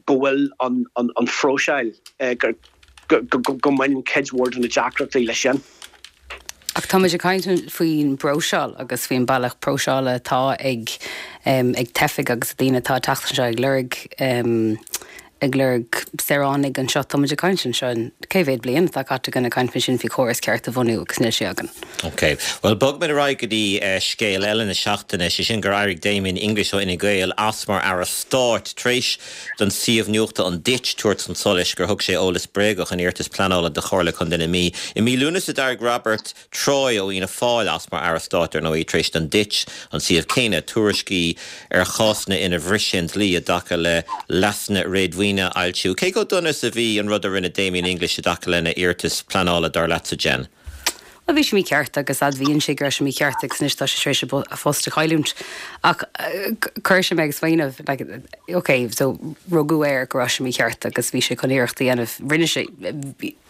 go bhfuil an phróiseáil, go mbaineann cuid mhór de na deacrachtaí leis sin. Ach tá muid ag caint faoin bpróiseáil agus faoin bealach próiseála atá ag ag teifigh agus daoine atá ag teacht anseo ag lorg ag lorg saoránaigh anseo. Tá muid ag caint anseo cé mhéad bliain atá caite againn ag caint faoi sin faoi chóras ceart a bhunú agus níl sé againn. Ok. Bhuel, bogfaimid ar aghaidh go dtí scéal eile na seachtaine, sé sin gur éirigh Damien English ó Fhine Gael as mar Aire Stáit tar éis don suíomh nuachta An Ditch tabhairt chun solais gur thug sé eolas bréagach in iarratas pleanála do Chomhairle Contae na Mí. I mí Lúnasa d'éirigh Robert Troy ó Fhianna Fáil as mar Aire Stáit, ar ndóigh, tar éis don Ditch, an suíomh céanna, tuairiscí ar chásanna inar bhris sé an dlí i dtaca le leasanna réadmhaoine a fhoilsiú. Cé chomh dona is a bhí an rud a rinne Damien English i dtaca lena iarratas pleanála, dar leatsa, Jen? Bhuel, bhí sé mícheart agus admhaíonn sé go raibh sé mícheart agus anois tá sé tar éis a phost a chailliúint. Ach chuir sé mé ag smaoineamh, like, ok, so rugadh air go raibh sé mícheart agus bhí sé chun iarracht a dhéanamh. Rinne sé,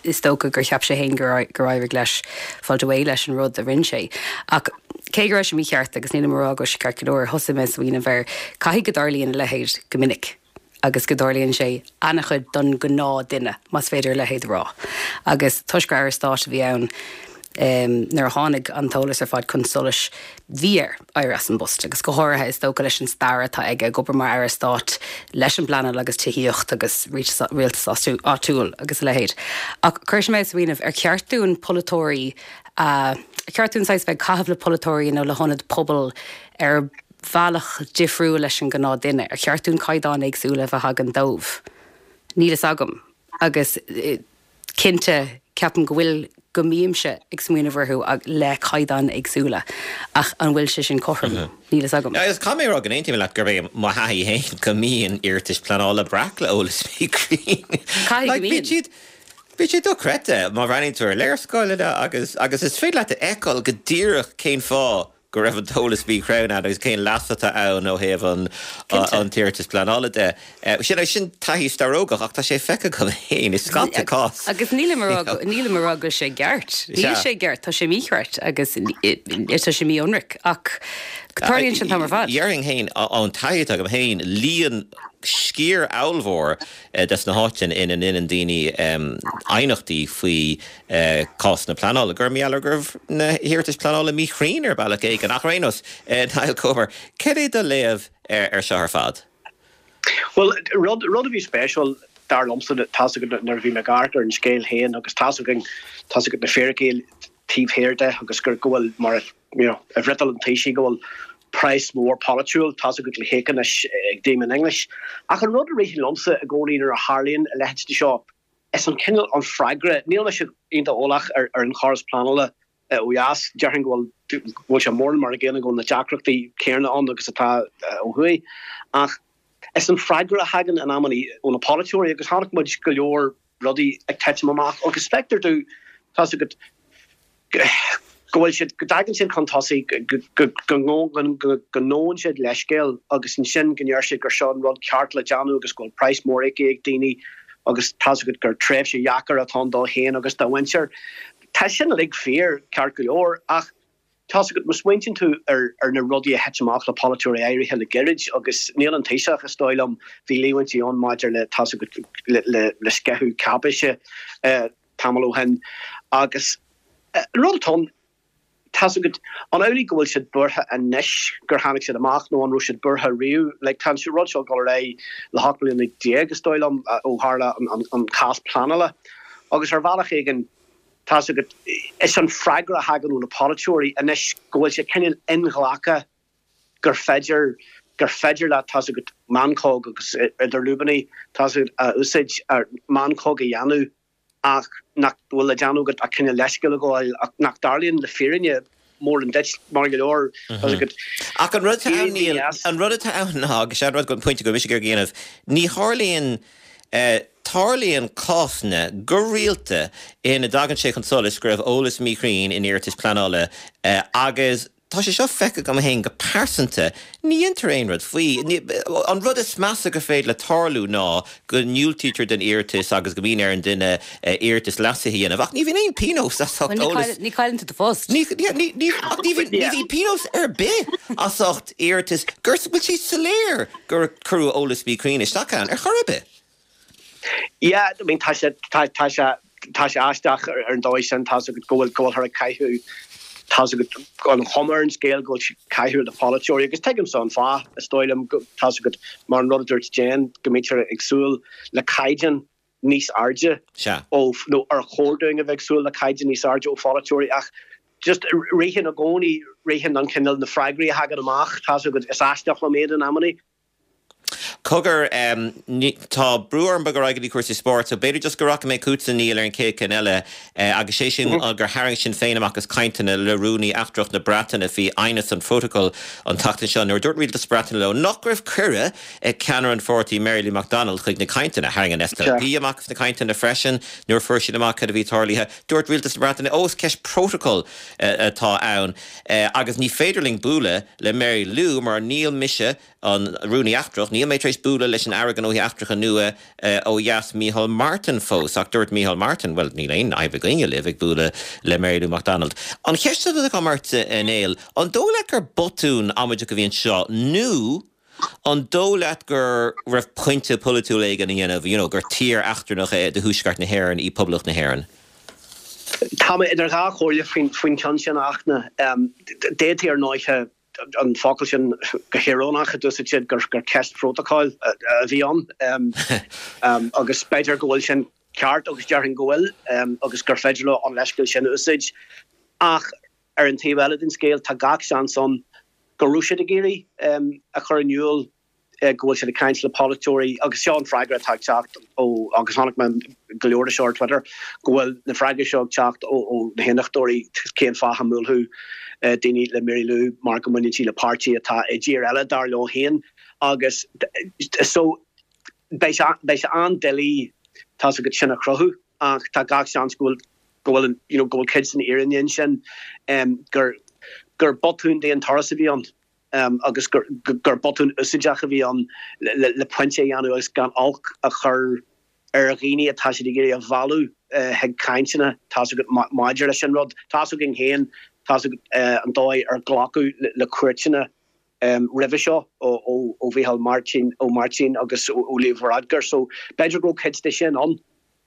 is dócha gur cheap sé féin gur éirigh leis fáilt away leis an rud a rinne sé. Ach cé go raibh sé mícheart agus nílim ag rá go raibh sé ceart go leor, thosaigh mé ag smaoineamh ar caithfidh go dtarlaíonn a leithéid go minic. agus go dtarlaíonn sé an-chuid don ghnáth-duine, más féidir a leithéid a rá. Agus toisc gur Aire Stáit a bhí ann nuair a tháinig an t-eolas ar fad chun solais, bhí air éirí as an bpost, agus go háirithe, is dócha, leis an stair atá aige ag obair mar Aire Stáit leis an bpleanáil agus tithíocht agus rialtas áitiúil agus a leithéid. Ach chuir sé mé ag smaoineamh, ar cheart dúinn polaiteoirí a, ar cheart dúinn saghas bheith ag caitheamh le polaiteoirí nó le hionaid pobail ar bhealach difriúil leis an gnáth duine? Ar cheart dúinn caighdeáin éagsúla a bheith againn dóibh? Níl fhios agam. Agus cinnte, ceapaim go bhfuil, go mbímse ag smaoineamh orthu le caighdeáin éagsúla, ach an bhfuil sé sin cothrom? Níl fhios agam. Agus caithfidh mé a rá go n-aontaím leat gurb é mo thaithí féin go mbíonn iarratais pleanála breac le eolas míchruinn. Caithfidh go mbíonn. Bíonn siad dochreidte má bhreathnaíonn tú ar léarscáileanna agus agus is féidir leat a fheiceáil go díreach cén fáth go raibh an t-eolas míchruinn ann agus cén leas atá ann ó thaobh an an t-iarratas pleanála de. Sin sin taithí starógach ach tá sé feicthe agam féin i scata cás. Agus nílim a rá nílim a rá go bhfuil sé ceart. Níl sé ceart, tá sé mícheart agus tá sé mí-ionraic ach tarlaíonn sé an t-am ar fad. Déarfainn féin ón taithí atá agam féin, líon sciar ollmhór des na háiteanna ina ndeineann daoine aighneachtaí faoi cásanna pleanála, gur mar gheall ar go raibh na hiarratais pleanála míchruinn ar bhealach éigin. Ach ar aon nós, Niall Comer, cad é do léamh ar seo ar fad? Bhuel, rud, rud a bhí spéisiúil, dar liomsa, tá's agat nuair a bhí mé ag amharc ar an scéal féin agus tá's againn, tá's agat na fíricí taobh thiar de agus gur, go bhfuil, mar a, you know, a bhfriotal an Taoisigh, go bhfuil. praghas mór polaitiúil, tá's agat, le híoc anois ag Damien English. Ach an rud a ritheann liomsa i gcónaí nuair a tharlaíonn a leithéid de seo, is an cineál, an freagra, níl mise iontach eolach ar an chóras pleanála ó dheas, déarfainn go bhfuil, go bhfuil sé mórán mar an gcéanna, go bhfuil na deacrachtaí céanna ann agus atá ó thuaidh. Ach is an freagra a thagann in amannaí ó na polaiteoirí, agus chonaic muid go leor rudaí ag titim amach agus feictear domh, tá's agat, go bhfuil siad, go dtagann siad chun tosaigh, go ngabhann siad leithscéal agus ansin go ndeir siad gur seo an rud ceart le déanamh agus go bhfuil praghas mór íoctha ag daoine agus tá's agat gur tréimhse dheacair atá ann dó féin agus dá mhuintir. Tá sin uilig fíor, ceart go leor, ach tá's agat, má smaointíonn tú ar ar na rudaí a thit amach le polaiteoirí áirithe le gairid agus níl an Taoiseach, is dóigh liom, bhí líomhaintí ann maidir le, tá's agat, le le sceitheadh cáipéise tamall ó shin agus an rud atá ann, tá's agat, an amhlaidh go bhfuil siad buartha anois gur tháinig siad amach nó an raibh siad buartha riamh? Like, tá an rud seo ag dul ar aghaidh le hocht mbliana déag, is dóigh liom, ó tharla an cás pleanála agus ar bhealach éigin, tá's agat, is an freagra a thagann ó na polaiteoirí anois go bhfuil sé cineál inghlactha gur féidir, gur féidir leat, tá's agat, meancóg agus idir lúibíní, tá's agat, a úsáid, meancóg a dhéanamh ach nach bhfuil le déanamh agat ach cineál leithscéal a ghabháil ach nach dtarlaíonn le fírinne mórán duit mar go leor, tá's agat. Ach an rud atá ann, Niall, an rud atá ann ná, agus sé an rud, an pointe go raibh mise ag iarraidh a dhéanamh, ní tharlaíonn, Tarlaíonn cásanna go rialta ina dtagann sé chun solais go raibh eolas míchruinn in iarratais pleanála agus tá sé seo feicthe agam féin go pearsanta, ní dhéantar aon rud faoi. An rud is measa gur féidir le tarlú ná go ndiúltaítear don iarratas agus go mbíonn ar an duine iarratas leasaithe a dhéanamh ach ní bhíonn aon pionós as ucht eolas. Ní chailleann tú do phost. Ní bhíonn pionós ar bith as ucht iarratas go bhfuil sé soiléir gur cuireadh eolas míchruinn isteach ann ar chor ar bith. Yeah, I mean tá sé, tá, tá sé, tá sé aisteach ar an dóigh sin, tá's agat go bhfuil, go bhfuilthear ag caitheamh, tá's agat an chuma ar an scéal go bhfuil siad ag caitheamh ar na polaiteoirí agus tuigimse an fáth, is dóigh liom, go, tá's agat, mar an rud a dúirt Jane, go mbítear ag súil le caighdeán níos airde Sea. ó, nó ar chóir dúinn a bheith ag súil le caighdeán níos airde ó pholaiteoirí ach just ritheann i gcónaí, ritheann an cineál, na freagraí a thagann amach, tá's agat, is aisteach liom iad in amannaí. Cogar, tá brú orm bogadh ar aghaidh go dtí cúrsaí spóirt, so b'fhéidir just go rachaidh mé chugatsa, Niall, ar an chéad cheann eile, agus sé sin gur tharraing Sinn Féin amach as cainteanna le Rúnaí Eachtrach na Breataine faoi aighneas an Phrótacail an tseachtain seo nuair a dúirt Rialtas na Breataine leo nach raibh cuireadh ag ceannaire an pháirtí Mary Lou McDonald chuig na cainteanna. Tharraing an SDLP amach as na cainteanna freisin nuair a fuair siad amach cad a bhí tarlaithe. Dúirt Rialtas na Breataine, ó is ceist prótacail atá ann agus ní féidir linn bualadh le Mary Lou mar níl mise, an Rúnaí Eachtrach, níl mé tar éis bualadh leis an Aire Gnóthaí Eachtracha nua ó dheas Micheál Martin fós. Ach dúirt Micheál Martin, bhuel níl aon fhadhb againne libh ag bualadh le Mary Lou McDonald. An cheist atá agam ort, a Néill, an dóigh leat gur botún amaideach a bhí anseo nó an dóigh leat go raibh pointe polaitiúil éigin á dhéanamh, you know, gur tír eachtrannach é de Thuaisceart na hÉireann í Poblacht na hÉireann? Tá mé idir dhá chomhairle faoin cheann sin, a Fhachtna. D'fhéadfaí ar ndóighe an focal sin go híorónach a d'úsáid siad gur ceist phrótacail a bhí ann agus b'fhéidir go bhfuil sin ceart agus déarfainn go bhfuil agus gur féidir leo an leithscéal sin a úsáid ach ar an taobh eile den scéal tá gach seans ann go raibh siad ag iarraidh a chur in iúl go bhfuil siad ag caint le polaiteoirí agus seo an freagra atá ag teacht ó, agus chonaic mé go leor de seo ar Twitter, go bhfuil na freagraí seo ag teacht ó na hAontachtóirí, cén fáth a mbuailfeadh daoine le Mary Lou mar go mbaineann sí le páirtí atá i dtír eile dar leo féin agus so beidh sé beidh sé an-doiligh tá's agat sin a chruthú ach tá gach seans go bhfuil go bhfuil you know go bhfuil cuid den fhírinne ansin gur gur botún d'aon turas a bhí ann. agus gur botún úsáideach a bhí ann le pointe a dhéanamh agus gan olc a chur ar dhaoine atá siad ag iarraidh a mhealladh chuig cainteanna, tá's agat, maidir leis an rud. Tá's againn féin, tá's agat, an dóigh ar glacadh le cuairteanna roimhe seo ó Mhícheál Máirtín, Ó Máirtín agus ó Leo Varadkar so b'fhéidir go raibh cuid de sin ann.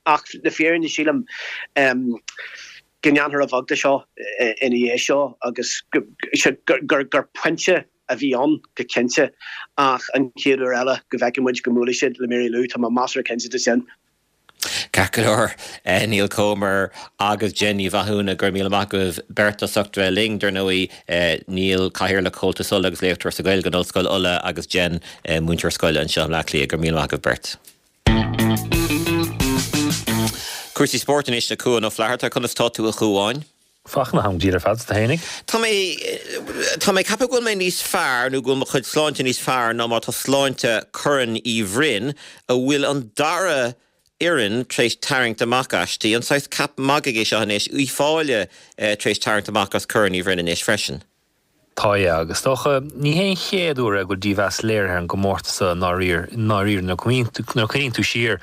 Ach le fírinne, sílim go ndéanfar a bheag de seo ina dhiaidh seo agus gur pointe a bhí ann go cinnte ach an chéad uair eile go bhfeicfidh muid go mbuailfidh siad le Mary Lou, tá mé measartha cinnte de sin. Ceart go leor, Niall Comer agus Jen Ní Mhathúna, go raibh míle maith agaibh beirt as ucht bheith linn. Dar ndóigh, Niall, Cathaoirleach Chomhaltas Uladh agus léachtóir sa Ghaeilge in Ollscoil Uladh agus Jen, múinteoir scoile anseo i mBleá Cliath. Go raibh míle maith agaibh beirt. Cúrsaí spóirt anois le Cuan Ó Flatharta. Conas tá tú a Chuáin? Fachtna, táim go diail ar fad, 's tú fhéinig? Tá mé, tá mé ag ceapadh go bhfuil mé níos fearr, nó go bhfuil mo chuid sláinte níos fearr ná mar tá sláinte Chorn Uí Bhroin, a bhfuil an dara fhoireann tar éis tarraingt amach aisti. An saghas ceap magaidh é seo anois? Uíbh Fhailí tar éis tarraingt amach as Corn Uí Bhroin anois freisin. Tá, yeah, agus is dócha, ní hé an chéad uair é go bhfuil dímheas léirithe ar an gcomórtas seo i ndáiríre, i ndáiríre nuair a chuimhníonn tú siar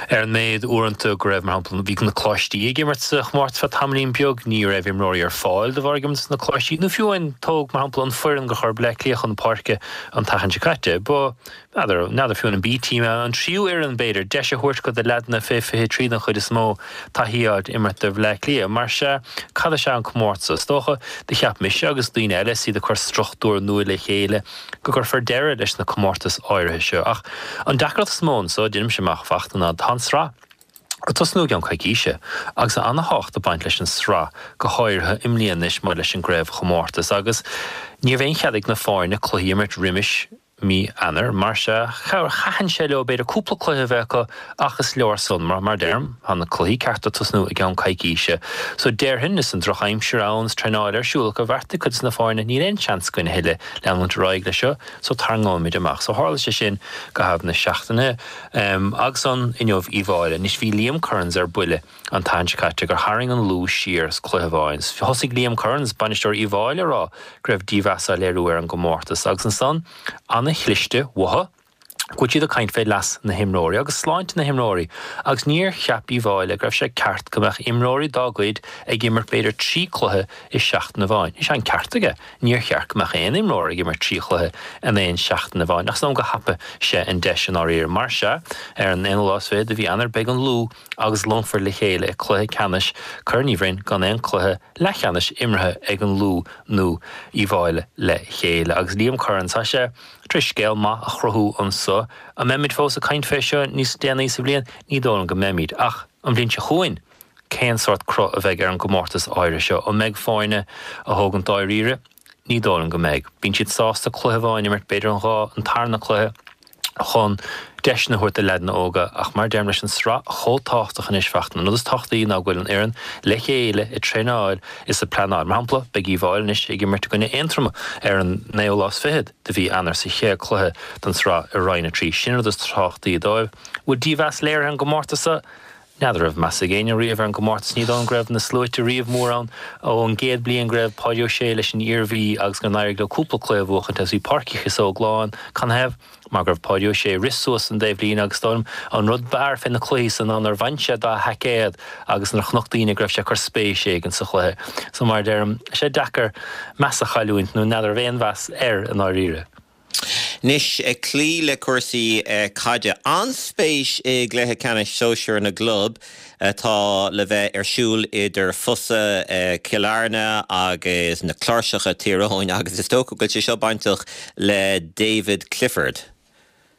ar an méid uaireanta go raibh, mar shampla, bhí na coláistí ag imirt sa chomórtas feadh tamaillín beag, ní raibh imreoirí ar fáil de bharr ag imirt sna coláistí, nó fiú amháin tóg, mar shampla, an foireann gur chuir Bleá Cliath chun páirce an tseachtain seo caite, ba. N'fheadar, n'fheadar fiú an B-team, an tríú fhoireann b'fhéidir, deis a thabhairt do leaideanna fé 23 den chuid is mó taithí a fháilt imirt do Bhleá Cliath. Mar sea, cad is ea an comórtas? Is dócha, do cheap mise agus daoine eile is iad ag cur struchtúr nua le chéile, go gcuirfear deireadh leis na comórtais áirithe seo. Ach an deacracht is mó anso, deinimse amach, a Fhachtna, ná tá an sraith. ag tosnú i gceann coicíse, agus tá ana-thábhacht ag baint leis an sraith, go háirithe i mbliana anois maidir leis an gcraobhchomórtas, agus ní raibh aon chead ag na foirne cluichí a imirt roimis mí Eanáir, mar sea, thaitin sé leo b'fhéidir cúpla cluiche a bheith acu ach is leor san, mar, mar deirim, tá na cluichí cearta ag tosnú i gceann coicíse. So déarfainn, is an drochaimsir ann is traenáil ar siúl acu, bheartaigh cuid de na foirne, níl aon seans againn a thuilleadh leanúint ar aghaidh leis seo, so tarraingeoimid amach. So tharla sé sin i gcaitheamh na seachtaine. Agus an, inniu, Uíbh Fhailí. Anois bhí Liam Kearns ar buile. an tseachtain seo caite gur tharraing an Lú siar as cluiche amháin. Thosaigh Liam Kearns, bainisteoir Uíbh Fhailí, a rá go raibh dímheas á léiriú ar an gcomórtas agus ansan, ana-chliste uathu, go bhfuil siad ag caint fé leas na himreoirí agus sláinte na himreoirí agus níor cheap Uíbh Fhailí go raibh sé ceart go mbeadh imreoirí dá gcuid ag imirt b'fhéidir 3 cluiche i seachtain amháin. Is ea an ceart aige, níor cheart go mbeadh aon imreoir ag imirt 3 chluiche in aon seachtain amháin ach is dóigh liom gur thapaigh sé an deis i ndáiríre. Mar sea, ar an aonú lá is fichead de mhí Eanáir beidh an Lú agus Longfort le chéile i cluiche ceannais Corn Uí Bhroin gan aon cluiche leathcheannais imeartha ag an Lú nó Uíbh Fhailí le chéile. Agus Liam Kearns, tá sé tar éis scéal maith a chruthú anso. An mbeimid fós ag caint fé seo níos déanaí sa bhliain? Ní dóigh liom go mbeimid. Ach an bhliain seo chugainn, cén sórt cruth a bheidh ar an gcomórtas áirithe seo? An mbeidh foirne á thógaint dáiríre? Ní dóigh liom go mbeidh. Bíonn siad sásta cluiche amháin a imirt, b'fhéidir an dhá, an tarna cluiche. chun deiseanna a thabhairt do leaideanna óga ach mar a deirim leis an sraith chomh tábhachtach anois Fachtna, an rud is tábhachtaí ná go bhfuil an fhoireann le chéile ag traenáil is ag pleanáil. Mar shampla, beidh Uíbh Fhailí anois ag imirt i gcoinne Aontroma ar an naoú lá is fichead de mhí Eanáir sa chéad cluiche den sraith i Roinn 3. Sin an rud is tábhachtaí dóibh. Bhfuil dímheas léirithe ar an gcomórtas seo? N'fheadar raibh meas ag éinne riamh ar an gcomórtas, ní dóigh liom go raibh na sluaite riamh mór ann ón gcéad bliain go raibh Páidí Ó Sé leis an Iarmhí agus go n-éirigh leo cúpla cluiche a bhuachaint agus bhí Páirc Uí Chíosóg lán. Canathaobh? Mar go raibh Páidí Ó Sé ag rith suas an dtaobhlíne agus is dóigh liom an rud b'fhearr fé na cluichí san ná nuair bhain sé dá sheaicéad agus nuair a chonac daoine go raibh sé ag cur spéis éigin sa chluiche. So mar a deirim, tá sé deacair meas a chailliúint nó n'fheadar raibh aon mheas air i ndáiríre. Anois, ag cloí le cúrsaí caide, an-spéis i gcluiche ceannais sóisear na gclub atá le bheith ar siúl idir Fosa, Cill Airne agus na Cláirseacha, Tír Eoghain agus is dócha go bhfuil sé seo bainteach le David Clifford.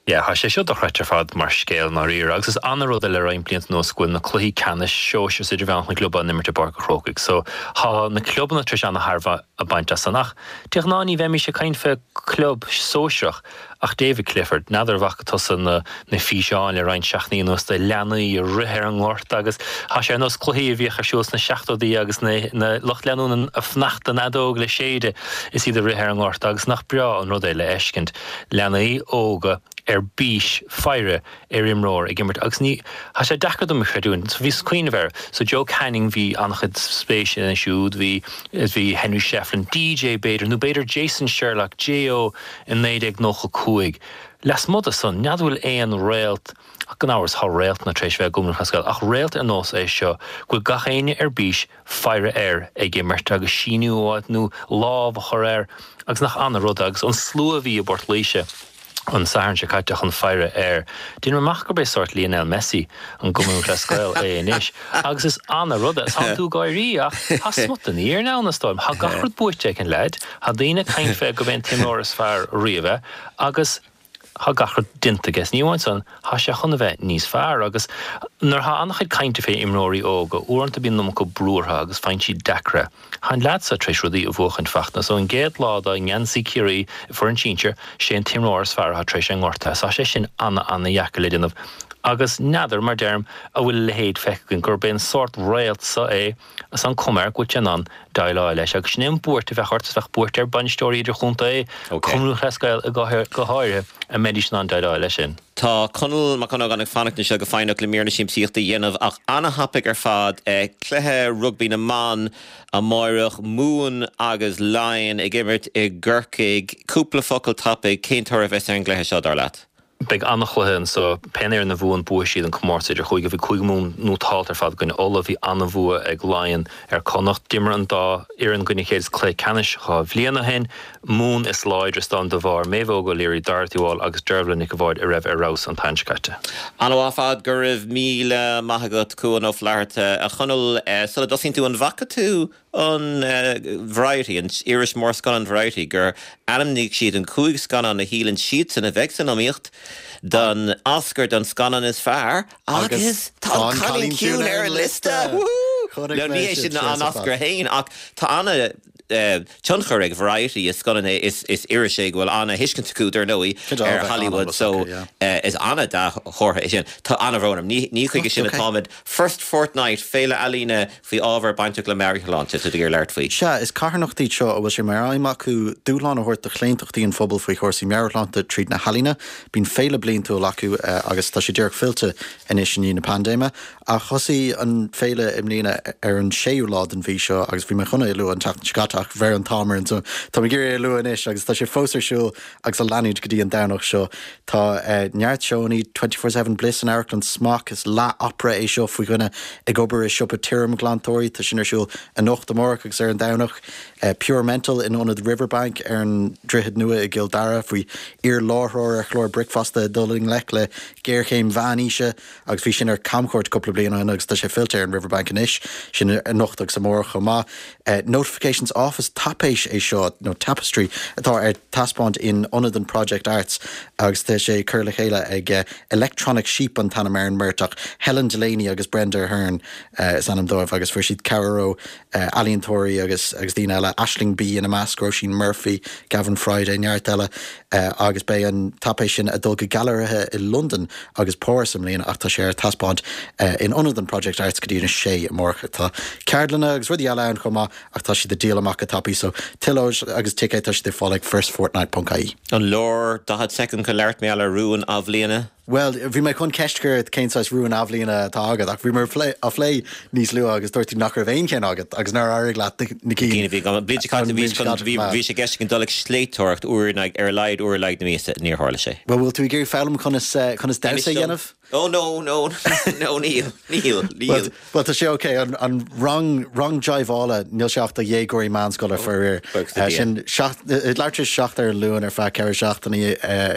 Yeah, tá sé seo dochreidte ar fad mar scéal i ndáiríre agus is ana-rud é le roinnt blianta anuas go bhfuil na cluichí ceannais sóisir is idirmheánach na gclub á n-imirt i bPáirc an Chrócaigh so tá na clubanna tar éis ana-thairbhe a bhaint as san ach de ghnáth ní bheimis ag caint fé club sóisearach ach David Clifford, n'fheadar an bhfaca tusa na na físeáin le roinnt seachtainí anuas de leanaí ag rith ar an ngort agus tá sé ar nós cluichí a bhíodh ar siúl sna seachtóidí agus na na lucht leanúna ag fanacht don fheadóg le séideadh is iad ag rith ar an ngort agus nach breá an rud é le fheiscint. leanaí óga ar bís faire ar imreoir ag imirt agus ní, tá sé deacair dom a chreidiúint, so bhíos ag cuimhneamh air, so Joe Canning bhí an-chuid spéise ina siúd, bhí, bhí Henry Shefflin, DJ b'fhéidir, nó b'fhéidir Jason Sherlock, J.O. i 1995. Lasmuigh de san, n'fheadar bhfuil aon réalt, ach gan amhras tá réaltanna tar éis bheith i gCumann Lúthchleas Gael, ach réalt ar nós é seo, go bhfuil gach éinne ar bís faire air ag imirt agus síniú a fháilt nó lámh a chur air agus nach ana-rud é agus an slua a bhí i bPort Laoise an Satharn seo caite chun faire air. Deinim amach gurb é sórt Lionel Messi an gCumann Lúthchleas Gael é anois agus is ana-rud é. Tánn tú ag gáirí ach tá smut den fhírinne ann is dóigh liom. Tá gach rud buaite ag an leaid, tá daoine ag caint fé gurb é an t-imreoir is fearr riamh é agus. Tá gach rud déanta aige. Is ní amháin san, tá sé chun a bheith níos fearr. Agus nuair atá an-chuid cainte fé imreoirí óga, uaireanta bíonn an iomarca brú orthu agus faigheann siad deacra. Tá an leaid seo tar éis rudaí a bhuachaint, Fachtna. So an gcéad lá dá ngeansaí Ciarraí i foireann sinsir, sé an t-imreoir is fearr atá tar éis é ngortaithe. So tá sé sin ana-ana-dheacair le déanamh. Agus n'fheadar, mar deirim, a bhfuil a leithéid feicthe againn, gurb é an sórt réalt so é, Is an cuma air go bhfuil sé in ann déileáil leis agus sin é an buairt a bheadh ort, is bheadh buairt ar bainisteoirí idirchontae, Cumann Lúthchleas Gael go háirithe, an mbeidís in ann déileáil leis sin. Tá Conall Mac Dhonnagáin ag fanacht anseo go foighneach le mír na siamsaíochta a dhéanamh ach ana-thapaidh ar fad, cluiche rugbaí na mban amáireach, Mumhan agus Laighin ag imirt i gCorcaigh. Cúpla focal tapaidh, cén toradh a bheas ar an gcluiche seo, dar leat? Beidh an-chluiche anso. Pé fhoireann a bhuann, buafaidh siad an comórtas idir-chúige. Bhí Cúige Mumhan nótálta ar fad i gcoinne Uladh. Bhí an-bhua ag Laighean ar Connacht. D'imir an dá fhoireann i gcoinne a chéile sa cluiche ceannais 2 bhliain ó shin. Mumhan is láidre is dóigh liom de bharr Méabh Óg O'Leary, Dorothy Wall agus Dervla Nic a' Bháird a raibh ar fheabhas an t-am seo caite. An-mhaith ar fad, go raibh míle maith agat, Cuan Ó Flatharta. A Chonaill, sula dtosaíonn tú, an bhfaca tú an Variety, an iris mór scannán Variety, gur ainmnigh siad an 5 scannán a shíleann siadsan a bheidh san iomaíocht don Oscar don scannán is fearr agus tá An Cailín Ciúin ar an liosta! Woohoo! Nó ní hé sin an Oscar féin ach tá ana tionchar ag Variety, is scannán é, is iris é go bhfuil ana thuiscint acu dar ndóigh ar Hollywood so is ana dea-chomhartha é sin. Tá ana-bhrón orm, ní chuige sin atáimid. First Fortnight, féile ealaíne faoi ábhar bainteach le meabhairshláinte, tá tú ag iarraidh labhairt faoi. Sea, is carthanacht iad seo a bhfuil sé mar aidhm acu dúshlán a thabhairt do chlaontachtaí an phobail faoi chúrsaí meabhairshláinte tríd na healaíona. Bíonn féile bliantúil acu agus tá sé díreach fillte anois i ndiaidh na paindéime. Ach thosaigh an féile i mbliana ar an séú lá den mhí seo agus bhí mé chun é a lua an tseachtain seo caite ach bheir an t-am orainn so tá mé ag iarraidh é a lua anois agus tá sé fós ar siúl agus ag leanúint go dtí an Domhnach seo. Tá neart seónna, 24 Seven Bliss in Amharclann Smock, is leath-opera é seo faoi dhuine ag obair i siopa tirimghlantóirí, tá sin ar siúl anocht, amárach agus ar an Domhnach. Pure Mental in Ionad Riverbank ar an Droichead Nua i gCill Dara faoi iar-láithreoir ar chlár bricfeasta ag dul i ngleic le géarchéim mheánaoise agus bhí sin ar camchuairt cúpla bliain ó shin agus tá sé fillte ar an Riverbank anois, sin anocht agus amárach chomh maith. Notifications Off, is taipéis é seo, nó tapestry, atá ar taispeáint in Ionad an Project Arts agus tá sé curtha le chéile ag Electronic Sheep an t-ainm ar an mbeirt ach Helen Delaney agus Brenda Ahern is ainm dóibh agus fuair siad cabhair ó ealaíontóirí agus agus daoine eile, Aisling Bea ina measc, Róisín Murphy, Gavin Friday, neart eile agus beidh an taipéis sin ag dul go gailearaithe i Londain agus Páras i mbliana ach tá sé ar taispeáint in Ionad an Project Arts go dtí an 6 amárach. Tá ceardlanna agus rudaí eile ann chomh maith ach tá siad ag díol amach go tapaidh so tuilleadh eolais agus ticéid tá siad ar fáil ag firstfortnight.ie. An leor 40 soicind chun labhairt mar gheall ar rún athbhliana? Bhuel, bhí mé chun ceist a chur ort cén saghas rúin athbhliana atá agat ach bhíomar á phlé níos luaithe agus dúirt tú nach raibh aon cheann agat agus nár éirigh leat na cinn. Cinn a bhí agam. An bhliain seo caite bhí chun, bhí, bhí sé i gceist agam dul ag sléibhteoireacht uair in aghaidh, ar a laghad uair in aghaidh na míosa. Níor tharla sé. Bhuel, bhfuil tú ag iarraidh foghlaim conas, conas damhsa a dhéanamh? Oh no, no, no, níl, níl, níl. Bhuel, tá sé ok. An rang, rang jiveála, níl sé ach do dhéagóirí meánscoile faraor. Buíochas le Dia. Sin seacht, leathuair tar éis a 7 ar an Luan ar feadh 4 seachtainí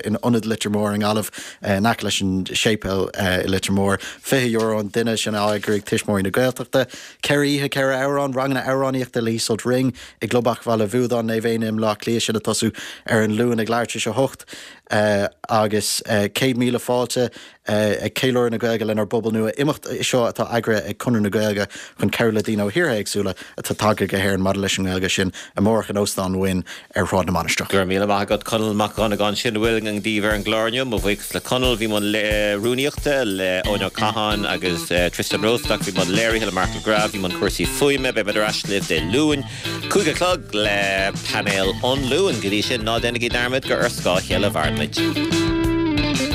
in Ionad Leitir Móir i nGaillimh, in aice leis an séipéal i Leitir Móir. €20 an duine, sin á eagrú ag Tuismitheoirí na Gaeltachta. Ceithre oíche, ceithre amhrán, ranganna amhránaíochta le Iseult Ring i gClub Acmhaille Bhuadáin, Naomh Éanna i mBleá Cliath, sin ag tosú ar an Luan ag leathuair tar éis a 8. Agus 100,000 fáilte ag ceiliúradh na Gaeilge lenár bpobal nua, imeacht é seo atá eagraithe ag Conradh na Gaeilge chun cabhrú le daoine ó thíortha éagsúla atá tagtha go hÉirinn maidir leis an nGaeilge, sin amárach in Óstán Wynn ar Shráid na Mainistreach. Go raibh míle maith agat Conall Mac Dhonnagáin. Sin a bhfuil againn daoibh ar an gclár inniu. Mo bhuíochas le Conall. Bhí i mbun rúnaíochta le Eoin Ó Catháin agus Tristan Rosenstock. Bhí i mbun léirithe le Mark McGrath. Bhí i mbun cúrsaí fuaime. Beidh muid ar ais libh Dé Luain. 5 a chlog le painéal an Luain. Go dtí sin, ná déanaigí dearmad gur ar scáth a chéile a mhaireann muid.